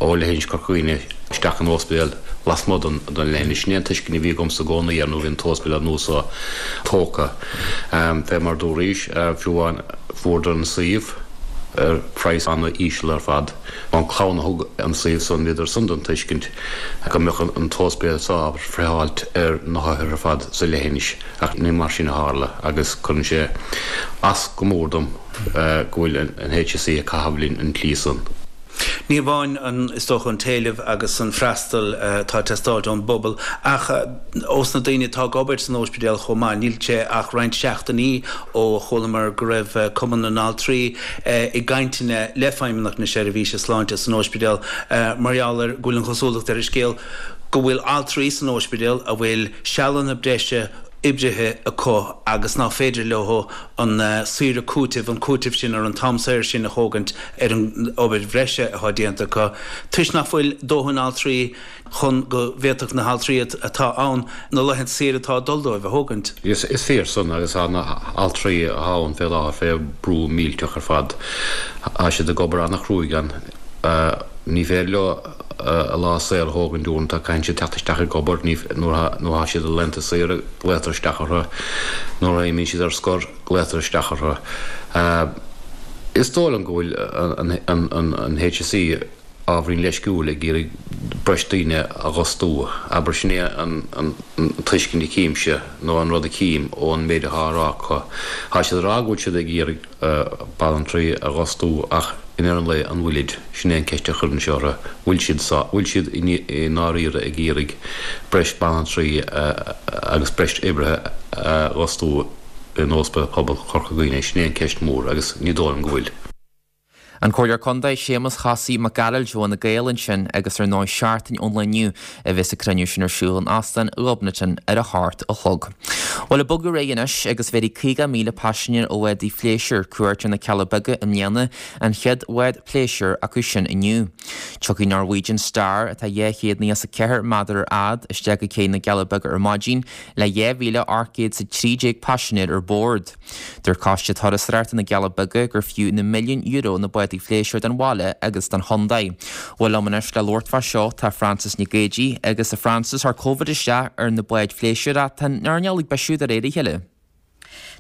K: ó leithinis Chorca Dhuibhne isteach in óispidéal lasmuigh den leithinis. Sin é an tuiscint a bhí agamsa i gcónaí air nuair a bhí an t-óispidéal nua so tógtha. Fé mar dúraís, fiú amháin fuaireadar an suíomh ar phraghas ana-íseal ar fad. An clann a thug an suíomh san, bhíodar san den tuiscint go mbeadh an t-óispidéal so ábalta friotháilt ar na hothair ar fad sa leithinis ach ní mar sin a tharla agus cuireann sé as go mór dom go bhfuil an HSE ag caitheamh linn an tslí san.
L: Ní amháin an, is dócha, an t-éileamh agus an freastal atá ag teastáilt ón bpobal ach ós na daoine atá ag obair san óispidéal chomh maith. Níl sé ach roinnt seachtainí ó chualamar go raibh Cumann na nAltraí i gcainteanna le Feidhmeannacht na Seirbhíse Sláinte san óispidéal mar gheall ar go bhfuil an chosúlacht ar an scéal go bhfuil altraí san óispidéal a bhfuil sealanna breise oibrithe acu agus nach féidir leo an saoire cúitimh, an cúiteamh sin ar an t-am saor sin a thógaint ar an obair bhreise atá déanta acu, toisc nach bhfuil dóthain altraí chun go bhféadfadh na haltraí atá ann na laethanta saoire atá ag dul dóibh a thógaint.
K: Is fíor san agus tá na haltraí atá ann fé láthair fé brú millteach ar fad. Tá siad ag obair ana-chruaidh ann. Ní féidir leo a lá saor a thógaint uaireanta, caitheann siad teacht isteach ag obair, nuair atá siad ar laethanta saoire, glaotar isteach orthu, nuair a imíonn siad ar scor, glaotar isteach orthu. Is dóigh liom go bhfuil an HSE ábhairín leisciúil ag iarraidh breis daoine a dh'fhostú. Abair, sin é an tuiscint a chímse, nó an rud a chím ón méid atá á rá acu. Tá siad ag rá go bhfuil siad ag iarraidh banaltraí a dh'fhostú ach i ndeireadh an lae an bhfuilid? Sin é an ceist a chuirinnse orthu, bhfuil siad sá, bhfuil siad i ndáiríre ag iarraidh breis banaltraí agus breis oibrithe a dh'fhostú in Óspidéal Pobail Chorca Dhuibhne? Sin é an ceist mór agus ní dóigh liom go bhfuil.
A: An Comhairleoir Contae Séamus Chosaí Mac Gearailt ó Fhine Gael ansin agus ar ndóigh seachtain ón lá inniu a bheas an cruinniú sin ar siúl in Óstán Ghobnatan ar a hocht a chlog. Bhuel ag bogadh ar aghaidh anois agus bhéarfaidh caoga míle paisinéir ó bhádaí phléisiúir cuairt ar na Cealla Beaga i mbliana, an chéad bhád pléisiúir acu sin inniu. Tiocfaidh Norwegian Star, atá dhá chéad nócha is a ceathair méadar ar fhad, isteach go cé na gCealla Beaga ar maidin le dhá mhíle ocht gcéad is a trí déag paisinéir ar bord. Dúirt Coiste Turasóireachta na gCealla Beaga gur fiú na milliúin euro na bádaí phléisiúir don bhaile agus don chontae. Bhuel liom anois le labhairt fá seo tá Frances Nic Géadaigh agus a Frances chuir Covid isteach ar na báid phléisiúir ach tá an earnáil ag bisiú de réir a chéile.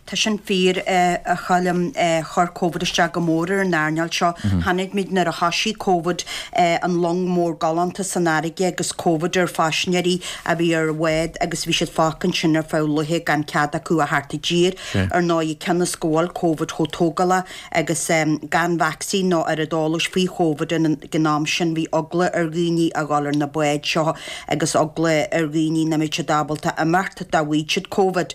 M: Tá sin fíor, a Choilm. Chuir Covid isteach go mór ar an earnáil seo. Chonaic muid nuair a thoisigh Covid an long mór galánta san fharraige agus Covid ar phaisinéirí a bhí ar bhád agus bhí siad fágtha ansin ar feadh laetha gan cead acu a theacht i dtír. Ar ndóigh, cionn is go bhfuil Covid chomh tógálach agus gan vacsaín nó oiread eolais faoi Chóvid ag an am sin, bhí eagla ar dhaoine a dhul ar na báid seo agus eagla ar dhaoine nach mbeadh siad ábalta imeacht dá bhfaigheadh siad Covid.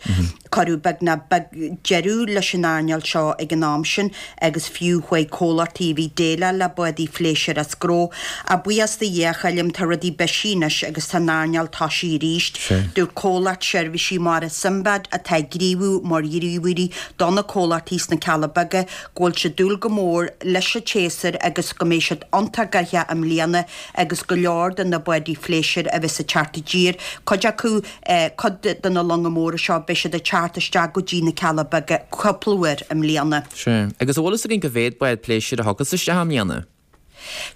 M: Cuireadh beagnach deireadh leis an earnáil seo ag an am sin agus fiú chuaigh comhlachtaí a bhí ag déileáil le bádaí phléisiúir as gnó. Ach buíochas do Dhia, a Choilm, tá rudaí bisithe anois agus tá an earnáil toisithe arís. Dúirt comhlacht seirbhísí mara Simbad, atá ag gníomhú mar ghníomhairí do na comhlachtaí sna Cealla Beaga, go bhfuil siad ag dúil go mór leis an tséasúr agus go mbeidh siad iontach gnoitheach i mbliana agus go leor de na bádaí phléisiúir a bheas ag teacht i dtír, cuid acu, cuid de na longa móra seo, beidh siad ag teacht isteach go dtí na Cealla Beaga cúpla uair i mbliana.
A: Sea. Agus an bhfuil fhios againn cá mhéad bád pléisiúir a thiocfas isteach i mbliana?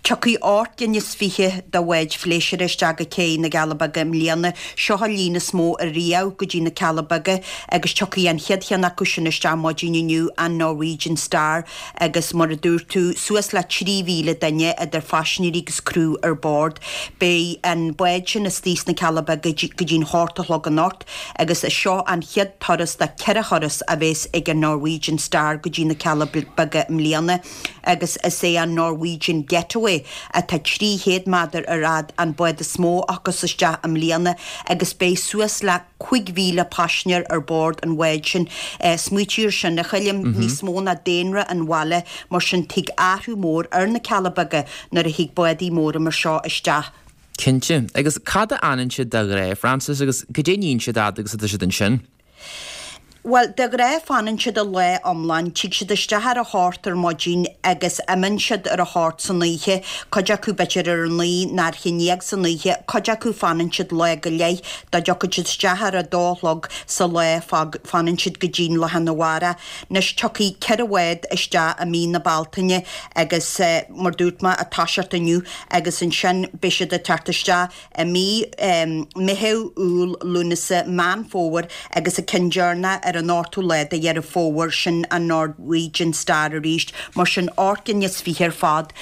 M: Tiocfaidh ocht gcinn is fiche de bháid phléisiúir isteach go cé na gCealla Beaga i mbliana. Seo an líon is mó ariamh go dtí na Cealla Beaga agus tiocfaidh an chéad cheann acu sin isteach maidin inniu, an Norwegian Star, agus mar a dúirt tú, suas le trí mhíle duine idir phaisinéirí agus criú ar bord. Beidh an bád sin istigh sna Cealla Beaga go dtí'n hocht a chlog anocht agus is seo an chéad turas de ceithre thuras a bheas ag an Norwegian Star go dtí na Cealla Beaga i mbliana agus is é an Norwegian Getaway atá trí chéad méadar ar fhad an bád is mó a thiocfas isteach i mbliana agus beidh suas le cúig mhíle paisinéir ar bord an bháid sin. Smaoitigh air sin, a Choilm, níos mó ná daonra an bhaile, mar sin tig athrú mór ar na Cealla Beaga nuair a thig bádaí móra mar seo isteach.
A: Cinnte. Agus cá fhad a fhanann siad de ghnáth, Frances, agus cad é a níonn siad fhad agus atá siad ansin?
M: Bhuel, de ghnáth fanann siad an lá iomlán, tig siad isteach ar a hocht ar maidin agus imíonn siad ar a hocht san oíche, cuid acu b'fhéidir ar a naoi nó ar a haon déag san oíche, cuid acu fanann siad lá go leith, dá dtiocfaidh siad isteach ar a dó a chlog sa lá fanann siad go dtí'n lá arna mhárach. Anois tiocfaidh ceithre bhád isteach i mí na Bealtaine agus mar dúirt mé, ag toiseacht inniu agus ansin beidh siad ag teacht isteach i mí Meitheamh, Iúil, Lúnasa, Meán Fómhair agus an ceann deireanach ar an ochtú lá de Dheireadh Fómhair, sin an Norwegian Star arís, mar sin ocht gcinn is fiche ar fad.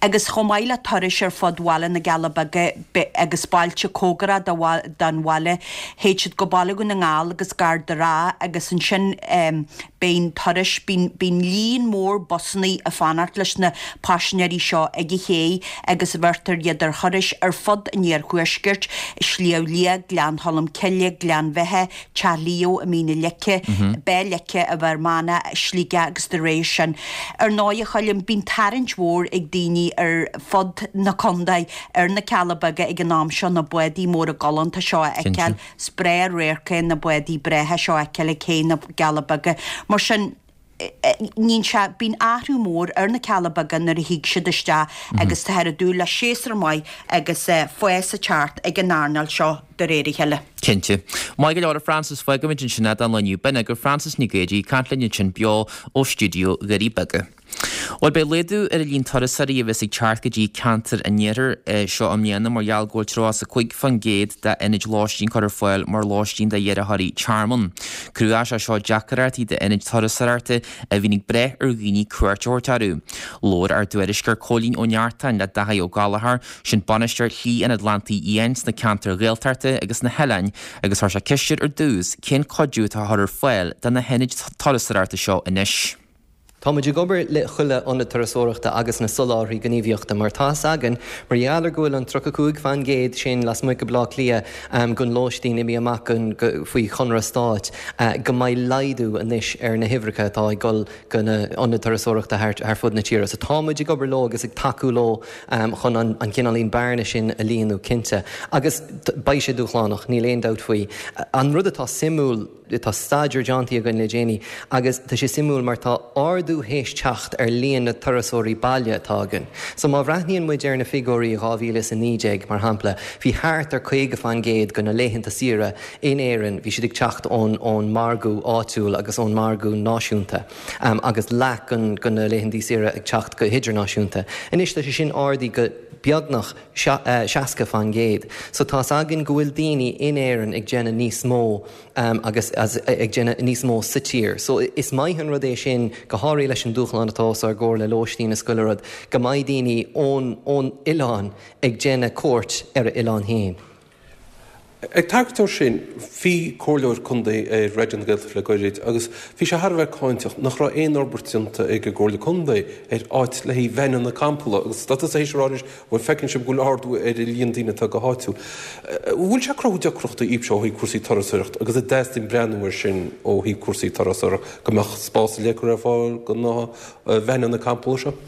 M: Agus chomh maith le turais ar fud bhaile na gCealla Beaga agus bailte cóngarach don bhaile, théid siad go Baile Dhún na nGall agus gar do Ráth agus ansin bíonn turais, bíonn líon mór busannaí ag fanacht leis na paisinéirí seo ag an ché agus bheirtear iad ar thurais ar fud an iarthuaiscirt, Sliabh Liag, Gleann Cholm Cille, Gleann Bheithe, Teach Leo i Mín na Leice, Béal Leice i bhFear Manach, Sligeach agus dá réir sin. Ar ndóigh, a Choilm, bíonn tarraingt mhór ag daoine ar fud na contae ar na Cealla Beaga ag an am seo, na bádaí móra galánta seo a fheiceáil. Is breá an radharc é na bádaí breátha seo a fheiceáil ag cé na gCealla Beaga. Mar sin, níonn sé, bíonn athrú mór ar na Cealla Beaga nuair a thig siad isteach agus táthar ag dúil le séasúr maith agus fás ag teacht ag an earnáil seo de réir a chéile.
A: Cinnte. Maith go leor a Frances, fágfaimid ansin é don lá inniu. B'in agaibh Frances Nic Géadaigh ag caint linn ansin beo ó stiúideo Dhoirí Beaga. Bhuel, beidh laghdú ar an líon turasóirí a bheas ag teacht go dtí ceantar an iarthair seo i mbliana mar gheall go bhfuil tríocha is a cúig faoin gcéad d'ionaid lóistín curtha ar fáil mar lóistín d'iarrthóirí tearmainn. Chruthaigh sé seo deacrachtaí d'ionaid turasóireachta a bhíonn ag brath ar dhaoine cuairt a thabhairt orthu. Labhair ár dtuairisceoir Cóilín Ó Neachtain le Dáithí Ó Gallchóir, sin bainisteoir Shlí an Atlantaigh Fhiáin sna ceantair Ghaeltachta agus na hoileáin agus chuir sé ceist air ar dtús cén cuidiú atá á chur ar fáil do na hionaid turasóireachta seo anois.
N: Tá muid ag obair le chuile ionad turasóireachta agus na soláthraí gníomhaíochta mar tá's againn mar gheall ar go bhfuil an tríocha cúig fan gcéad sin lasmuigh de Bhleá Cliath gon lóistín imithe amach faoi chonradh stáit go mbeidh laghdú anois ar na huimhreacha atá ag dul go na ionaid turasóireachta thar fud na tíre. So tá muid ag obair leo agus ag tacú leo chun an cineáilín bearna sin a líonadh cinnte. Agus beidh sé dúshlánach, níl aon dabht faoi. An rud atá suimiúil, tá staidéar déanta againn le déanaí agus tá sé suimiúil mar tá ardú théis teacht ar líon na turasóirí baile atá againn. So má bhreathnaíonn muid ar na figiúirí dhá mhíle is a naoi déag, mar shampla, bhí thart ar caoga fan gcéad de na laethanta saoire in Éirinn, bhí siad ag teacht ón ón margadh áitiúil agus ón margadh náisiúnta agus leath de na laethanta saoire ag teacht go hidirnáisiúnta. Anois tá sé sin ardaithe go beagnach seasca fan gcéad. So tá's againn go bhfuil daoine in Éirinn ag déanamh níos mó agus ag déanamh níos mó sa tír. So is maith an rud é sin, go háirithe leis an dúshlán atá os ár gcomhair le lóistín is chuile rud, go mbeidh daoine ón ón oileán ag déanamh cuairt ar a oileán féin.
O: Ag tagairt dó sin, bhí comhairleoir contae ar Raidió na Gaeltachta le gairid agus bhí sé thar a bheith cáinteach nach raibh aon fhorbairt déanta ag an gComhairle Contae ar áit le haghaidh veaineanna campála agus tá tusa théis a rá anois, bhuel feiceann sibh go bhfuil ardú ar an líon daoine atá go háitiúil. An bhfuil sé ag cruthú deacrachtaí daoibhse ó thaobh cúrsaí turasóireachta agus an dteastaíonn breathnú air sin ó thaobh cúrsaí turasóireachta go mbeadh spás ar leith curtha ar fáil do na veaineanna campála seo?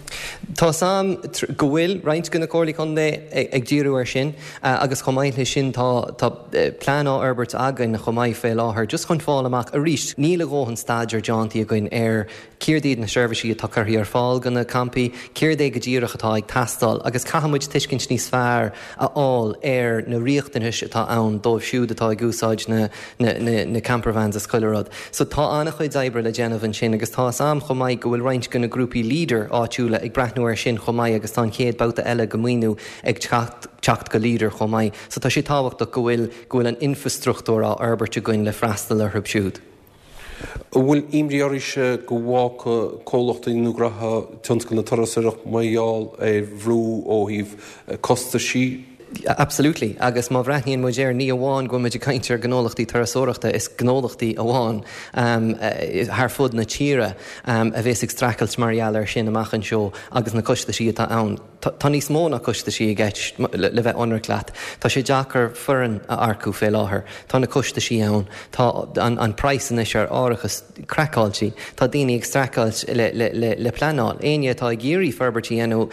N: Tá's a'm go bhfuil roinnt de na comhairlí contae ag díriú air sin agus chomh maith leis sin tá plean á fhorbairt againn chomh maith fé láthair just chun fáil amach arís níl a dhóthain staidéar déanta againn ar céard iad na seirbhísí atá curtha ar fáil go na campaí, céard é go díreach atá ag teastáil agus caithfidh muid tuiscint níos fearr a fháil ar na riachtanais atá ann dóibh siúd atá ag úsáid na na na campervans is chuile rud. So tá an-chuid oibre le déanamh ansin agus tá's a'm chomh maith go bhfuil roinnt de na grúpaí Leader áitiúla ag breathnú air sin chomh maith agus tá an chéad babhta eile de mhaoiniú ag teacht teacht go Leader chomh maith. So tá sé tábhachtach go bhfuil go bhfuil an infrastruchtúr á fhorbairt againn le freastal orthu siúd.
O: An bhfuil imní oraibhse go bhfágfaidh comhlachtaí nó gnóthaí tionscal na turasóireachta mar gheall ar bhrú ó thaobh costaisí?
N: Absolutely. Agus má bhreathnaíonn muid air, ní amháin go bhfuil muid ag caint ar ghnólachtaí turasóireachta, is gnólachtaí amháin thar fud na tíre a bheas ag streachailt mar gheall air sin amach anseo agus na costaisí atá ann. Tá níos mó ná costaisí i gceist, le bheith ionraic leat. Tá sé deacair foireann a earcú fé láthair. Tá na costaisí ann. Tá an praghas anois ar árachas craiceáilte. Tá daoine ag streachailt le pleanáil. Éinne atá ag iarraidh forbairt a dhéanamh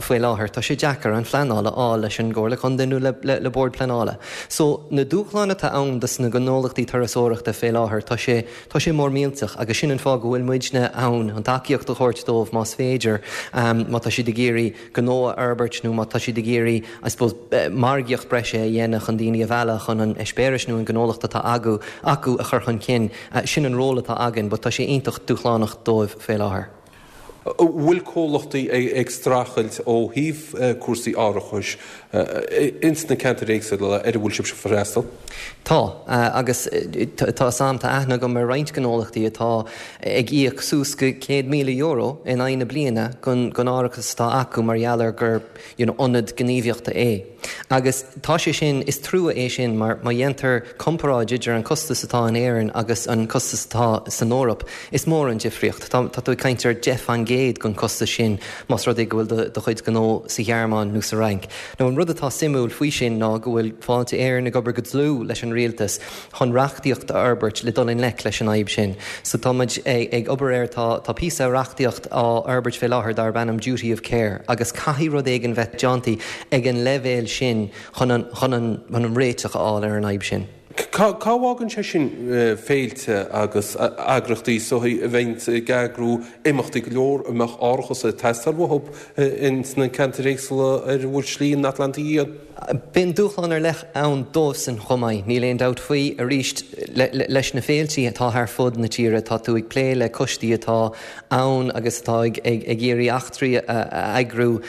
N: faoi láthair, tá sé deacair an phleanáil a fháil leis an gComhairle Contae nó le Bord Pleanála. So, na dúshláin atá ann dos na gnólachtaí turasóireachta fé láthair, tá sé tá sé mór millteach agus sin an fáth go bhfuil muidne ann, an tacaíocht a thabhairt dóibh más féidir, má tá siad ag iarraidh gnó a fhorbairt nó má tá siad ag iarraidh, I suppose, margaíocht breise a dhéanamh chun daoine a mhealladh chun an eispéireas nó an gnólacht atá acu a chur chun cinn. Sin an ról atá againn but tá sé iontach dúshlánach dóibh fé láthair.
O: An bhfuil comhlachtaí ag streachailt ó thaobh cúrsaí árachais ins na ceantair éagsúla ar a bhfuil sibhse ag freastal?
N: Tá, agus tá 's a'm, tá aithne agam ar roinnt gnólachtaí atá ag íoc suas go céad míle euro in aghaidh na bliana gon árachas atá acu mar gheall ar gur you know ionad gníomhaíochta é. Agus tá sé sin, is trua é sin mar má dhéantar comparáid idir an costas atá in Éirinn agus an costas atá san Eoraip, is mór an difríocht. Tá tú ag caint ar deich fan gcéad den chostas sin más rud é go bhfuil do chuid gnó sa Ghearmáin nó sa Fhrainc. Now an rud atá suimiúil faoi sin ná go bhfuil Fáilte Éireann ag obair go dlúth leis an rialtas chun reachtaíocht a fhorbairt le dul i ngleic leis an fhadhb sin. So tá muid ag obair air, tá tá píosa reachtaíocht á fhorbairt fé láthair darb ainm Duty of Care agus caithfidh rud éigin bheith déanta ag an leibhéal sin chun an chun an chun an réiteach a fháil ar an fhadhb sin.
O: Cá bhfágann sé sin féilte agus eagraíochtaí is dóichí a bheidh ag eagrú imeachtaí go leor a mbeadh árachas ag teastáil uathu ins na ceantair éagsúla ar a bhfuil Slí an Atlantaigh Fhiáin?
N: Bíonn dúshlán ar leith ann dóibhsan chomh maith, níl aon dabht faoi. Arís, leis na féiltí atá thar fud na tíre, tá tú ag plé le coistí atá ann agus atá ag iarraidh eachtraí a eagrú,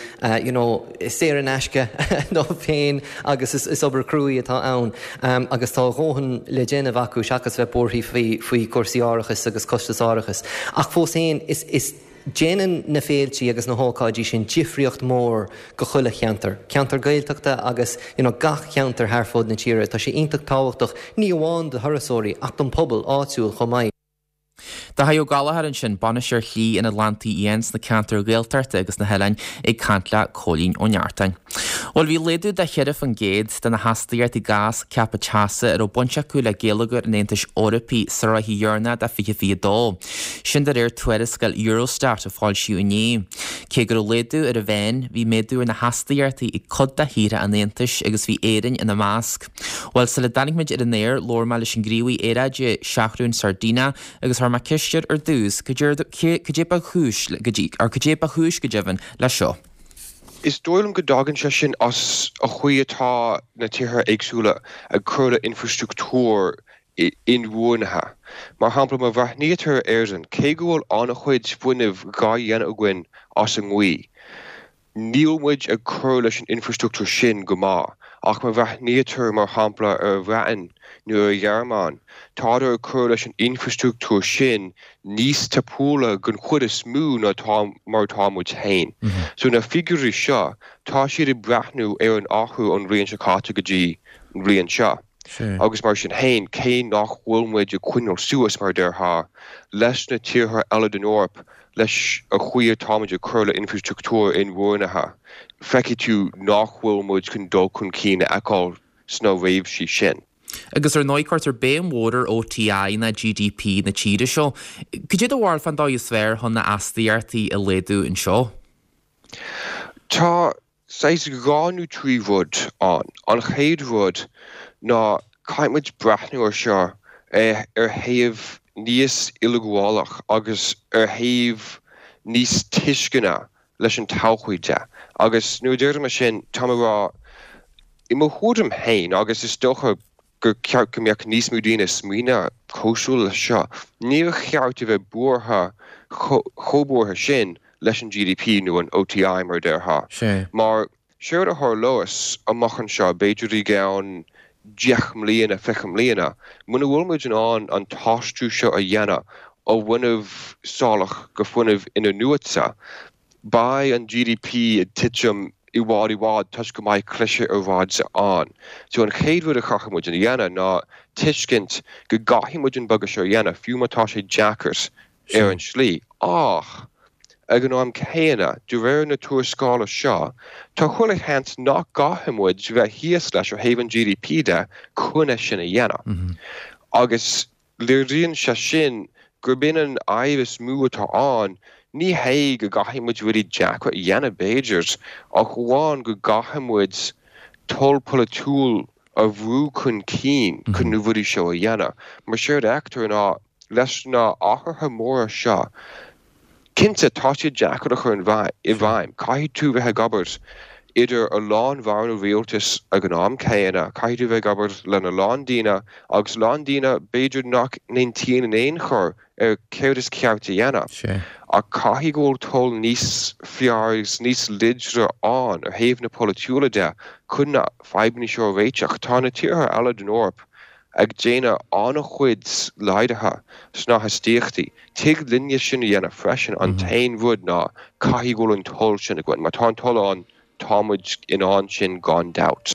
N: you know, saor in aisce dóibh féin agus is obair chruaidh atá ann agus tá a dhóthain le déanamh acu seachas bheith buartha faoi chúrsaí árachais agus costas árachais. Ach fós féin, is déanann na féiltí agus na hócáidí sin difríocht mhór go chuile cheantar, ceantar Gaeltachta agus you know gach ceantar thar fud na tíre. Tá sé iontach tábhachtach ní amháin do thurasóirí ach don pobal áitiúil chomh maith.
A: Dáithí Ó Gallchóir ansin, Bainisteoir Shlí an Atlantaigh Fhiáin sna ceantair Ghaeltachta agus na hoileáin ag caint le Cóilín Ó Neachtain. Bhuel bhí laghdú de cheithre faoin gcéad de na hastaíochtaí gás ceaptha teasa a raibh baint acu le geilleagar an Aontais Eorpaigh sa ráithe dheireanach de fiche fiche dó. Sin de réir tuarascáil Eurostat a foilsíodh inné. Cé go raibh laghdú ar an mheán, bhí méadú ar na hastaíochtaí ag cuid de thíortha an Aontais agus bhí Éirinn ina measc. Bhuel, sula dtáinig muid ar an aer, labhair mé leis an ngníomhaí aeráide, Seathrún Sardina, agus chuir mé ceist air ar dtús, cad é ba chúis, or cad é ba chúis go deimhin leis seo.
H: Is dóigh liom go dtagann sé sin as an chaoi atá na tíortha éagsúla ag cur le infrastruchtúr inbhuanaithe. Mar shampla, má bhreathnaítear ar Éirinn, cé go bhfuil an-chuid fuinnimh dhá dhéanamh againn as an ngaoth, níl muid ag cur leis an infrastruchtúr sin go maith. Ach má bhreathnaítear, mar shampla, ar an Bhreatain nó ar an Ghearmáin, tádar ag cur leis an infrastruchtúr sin níos tapúla den chuid is mó ná mar atá muid féin. So na figiúirí seo, tá siad ag breathnú ar an athrú ón bhliain seo caite go dtí an bhliain seo. Agus mar sin féin, cé nach bhfuil muid ag coinneáil suas, mar a déarfá, leis na tíortha eile den Eoraip, leis an chaoi atáimid ag cur le infrastruchtúr inbhuanaithe, feicfidh tú nach bhfuil muid chun dul chun cinn a fheiceáil sna réimsí sin.
A: Agus ar ndóigh cuirtear béim mhór ar OTI ná GDP na tíre seo. Cad é do bharúil fán dóigh is fearr chun na astaíochtaí a laghdú anseo?
H: Tá saghas dhá nó trí rud ann. An chéad rud ná caithfidh muid breathnú ar seo ar thaobh níos uileghabhálach agus ar thaobh níos tuisceana leis an todhchaí de. Agus nuair a deirim é sin, táim ag rá, i mo thuairim féin, agus is dócha gur ceart go mbeadh níos mó daoine ag smaoineamh cosúil leis seo, níor cheart a bheith buartha chomh buartha sin leis an GDP nó an OTI mar a déarfá. Mar séard a tharlós amach anseo, b'fhéidir i gceann deich mbliana, fiche mbliana, muna bhfuil muid in ann an t-aistriú seo a dhéanamh ó fhuinneamh salach go fuinneamh in-athnuaite, beidh an GDP ag titim i bhfad i bhfad toisc go mbeidh cliseadh aeráide ann. So an chéad rud a chaithfidh muid a dhéanamh ná tuiscint go gcaithfidh muid an bogadh seo a dhéanamh, fiú má tá sé deacair ar an slí. Ach ag an am céanna, de réir na tuarascála seo, tá chuile sheans nach gcaithfidh muid bheith thíos leis ó thaobh an GDP de chun é sin a dhéanamh. Agus léiríonn sé sin gurb in an fhadhb is mó atá ann, ní hé go gcaithfidh muid rudaí deacra a dhéanamh b'fhéidir, ach amháin go gcaithfidh muid toil polaitiúil a bhrú chun cinn chun na rudaí seo a dhéanamh. Mar séard a fheictear ná leis na athruithe móra seo, Cinnte, tá siad deacair a chur i bhfeidhm. Caithfidh tú bheith ag obair idir a lán ranna rialtais ag an am céanna, caithfidh tú bheith ag obair lena lán daoine agus a lán daoine b'fhéidir nach n-aontaíonn in aon chor ar céard is ceart a dhéanamh. Ach caithfidh go bhfuil toil níos fearr agus níos láidre ann ó thaobh na polaitiúla de chun na fadhbanna seo a réiteach. Tá na tíortha eile den Eoraip ag déanamh an-chuid laghdaithe sna hastaíochtaí. Tig linne sin a dhéanamh freisin, an t-aon rud ná caithfidh go bhfuil an toil sin againn. Má tá an toil ann, tá muid in ann sin gan dabht.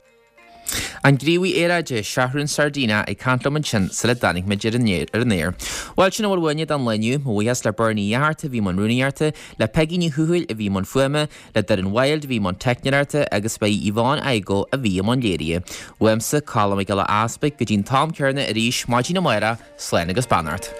A: An gníomhaí aeráide, Seathrún Sardina, ag caint liom ansin sula dtáinig muid ar an aer. Bhuel, sin a bhfuil uainne don lá inniu. Mo bhuíochas le Bernie Uí Fhatharta a bhí i mbun rúnaíochta, le Peigí Ní Thuathail a bhí i mbun fuaime, le Doireann Wilde a bhí i mbun teicneoireachta agus ba í Yvonne Igoe a bhí i mbun léirithe. Uaimse, Colm Mac Giolla Easpaig, go dtí an t-am céanna arís maidin amárach, slán agus beannacht.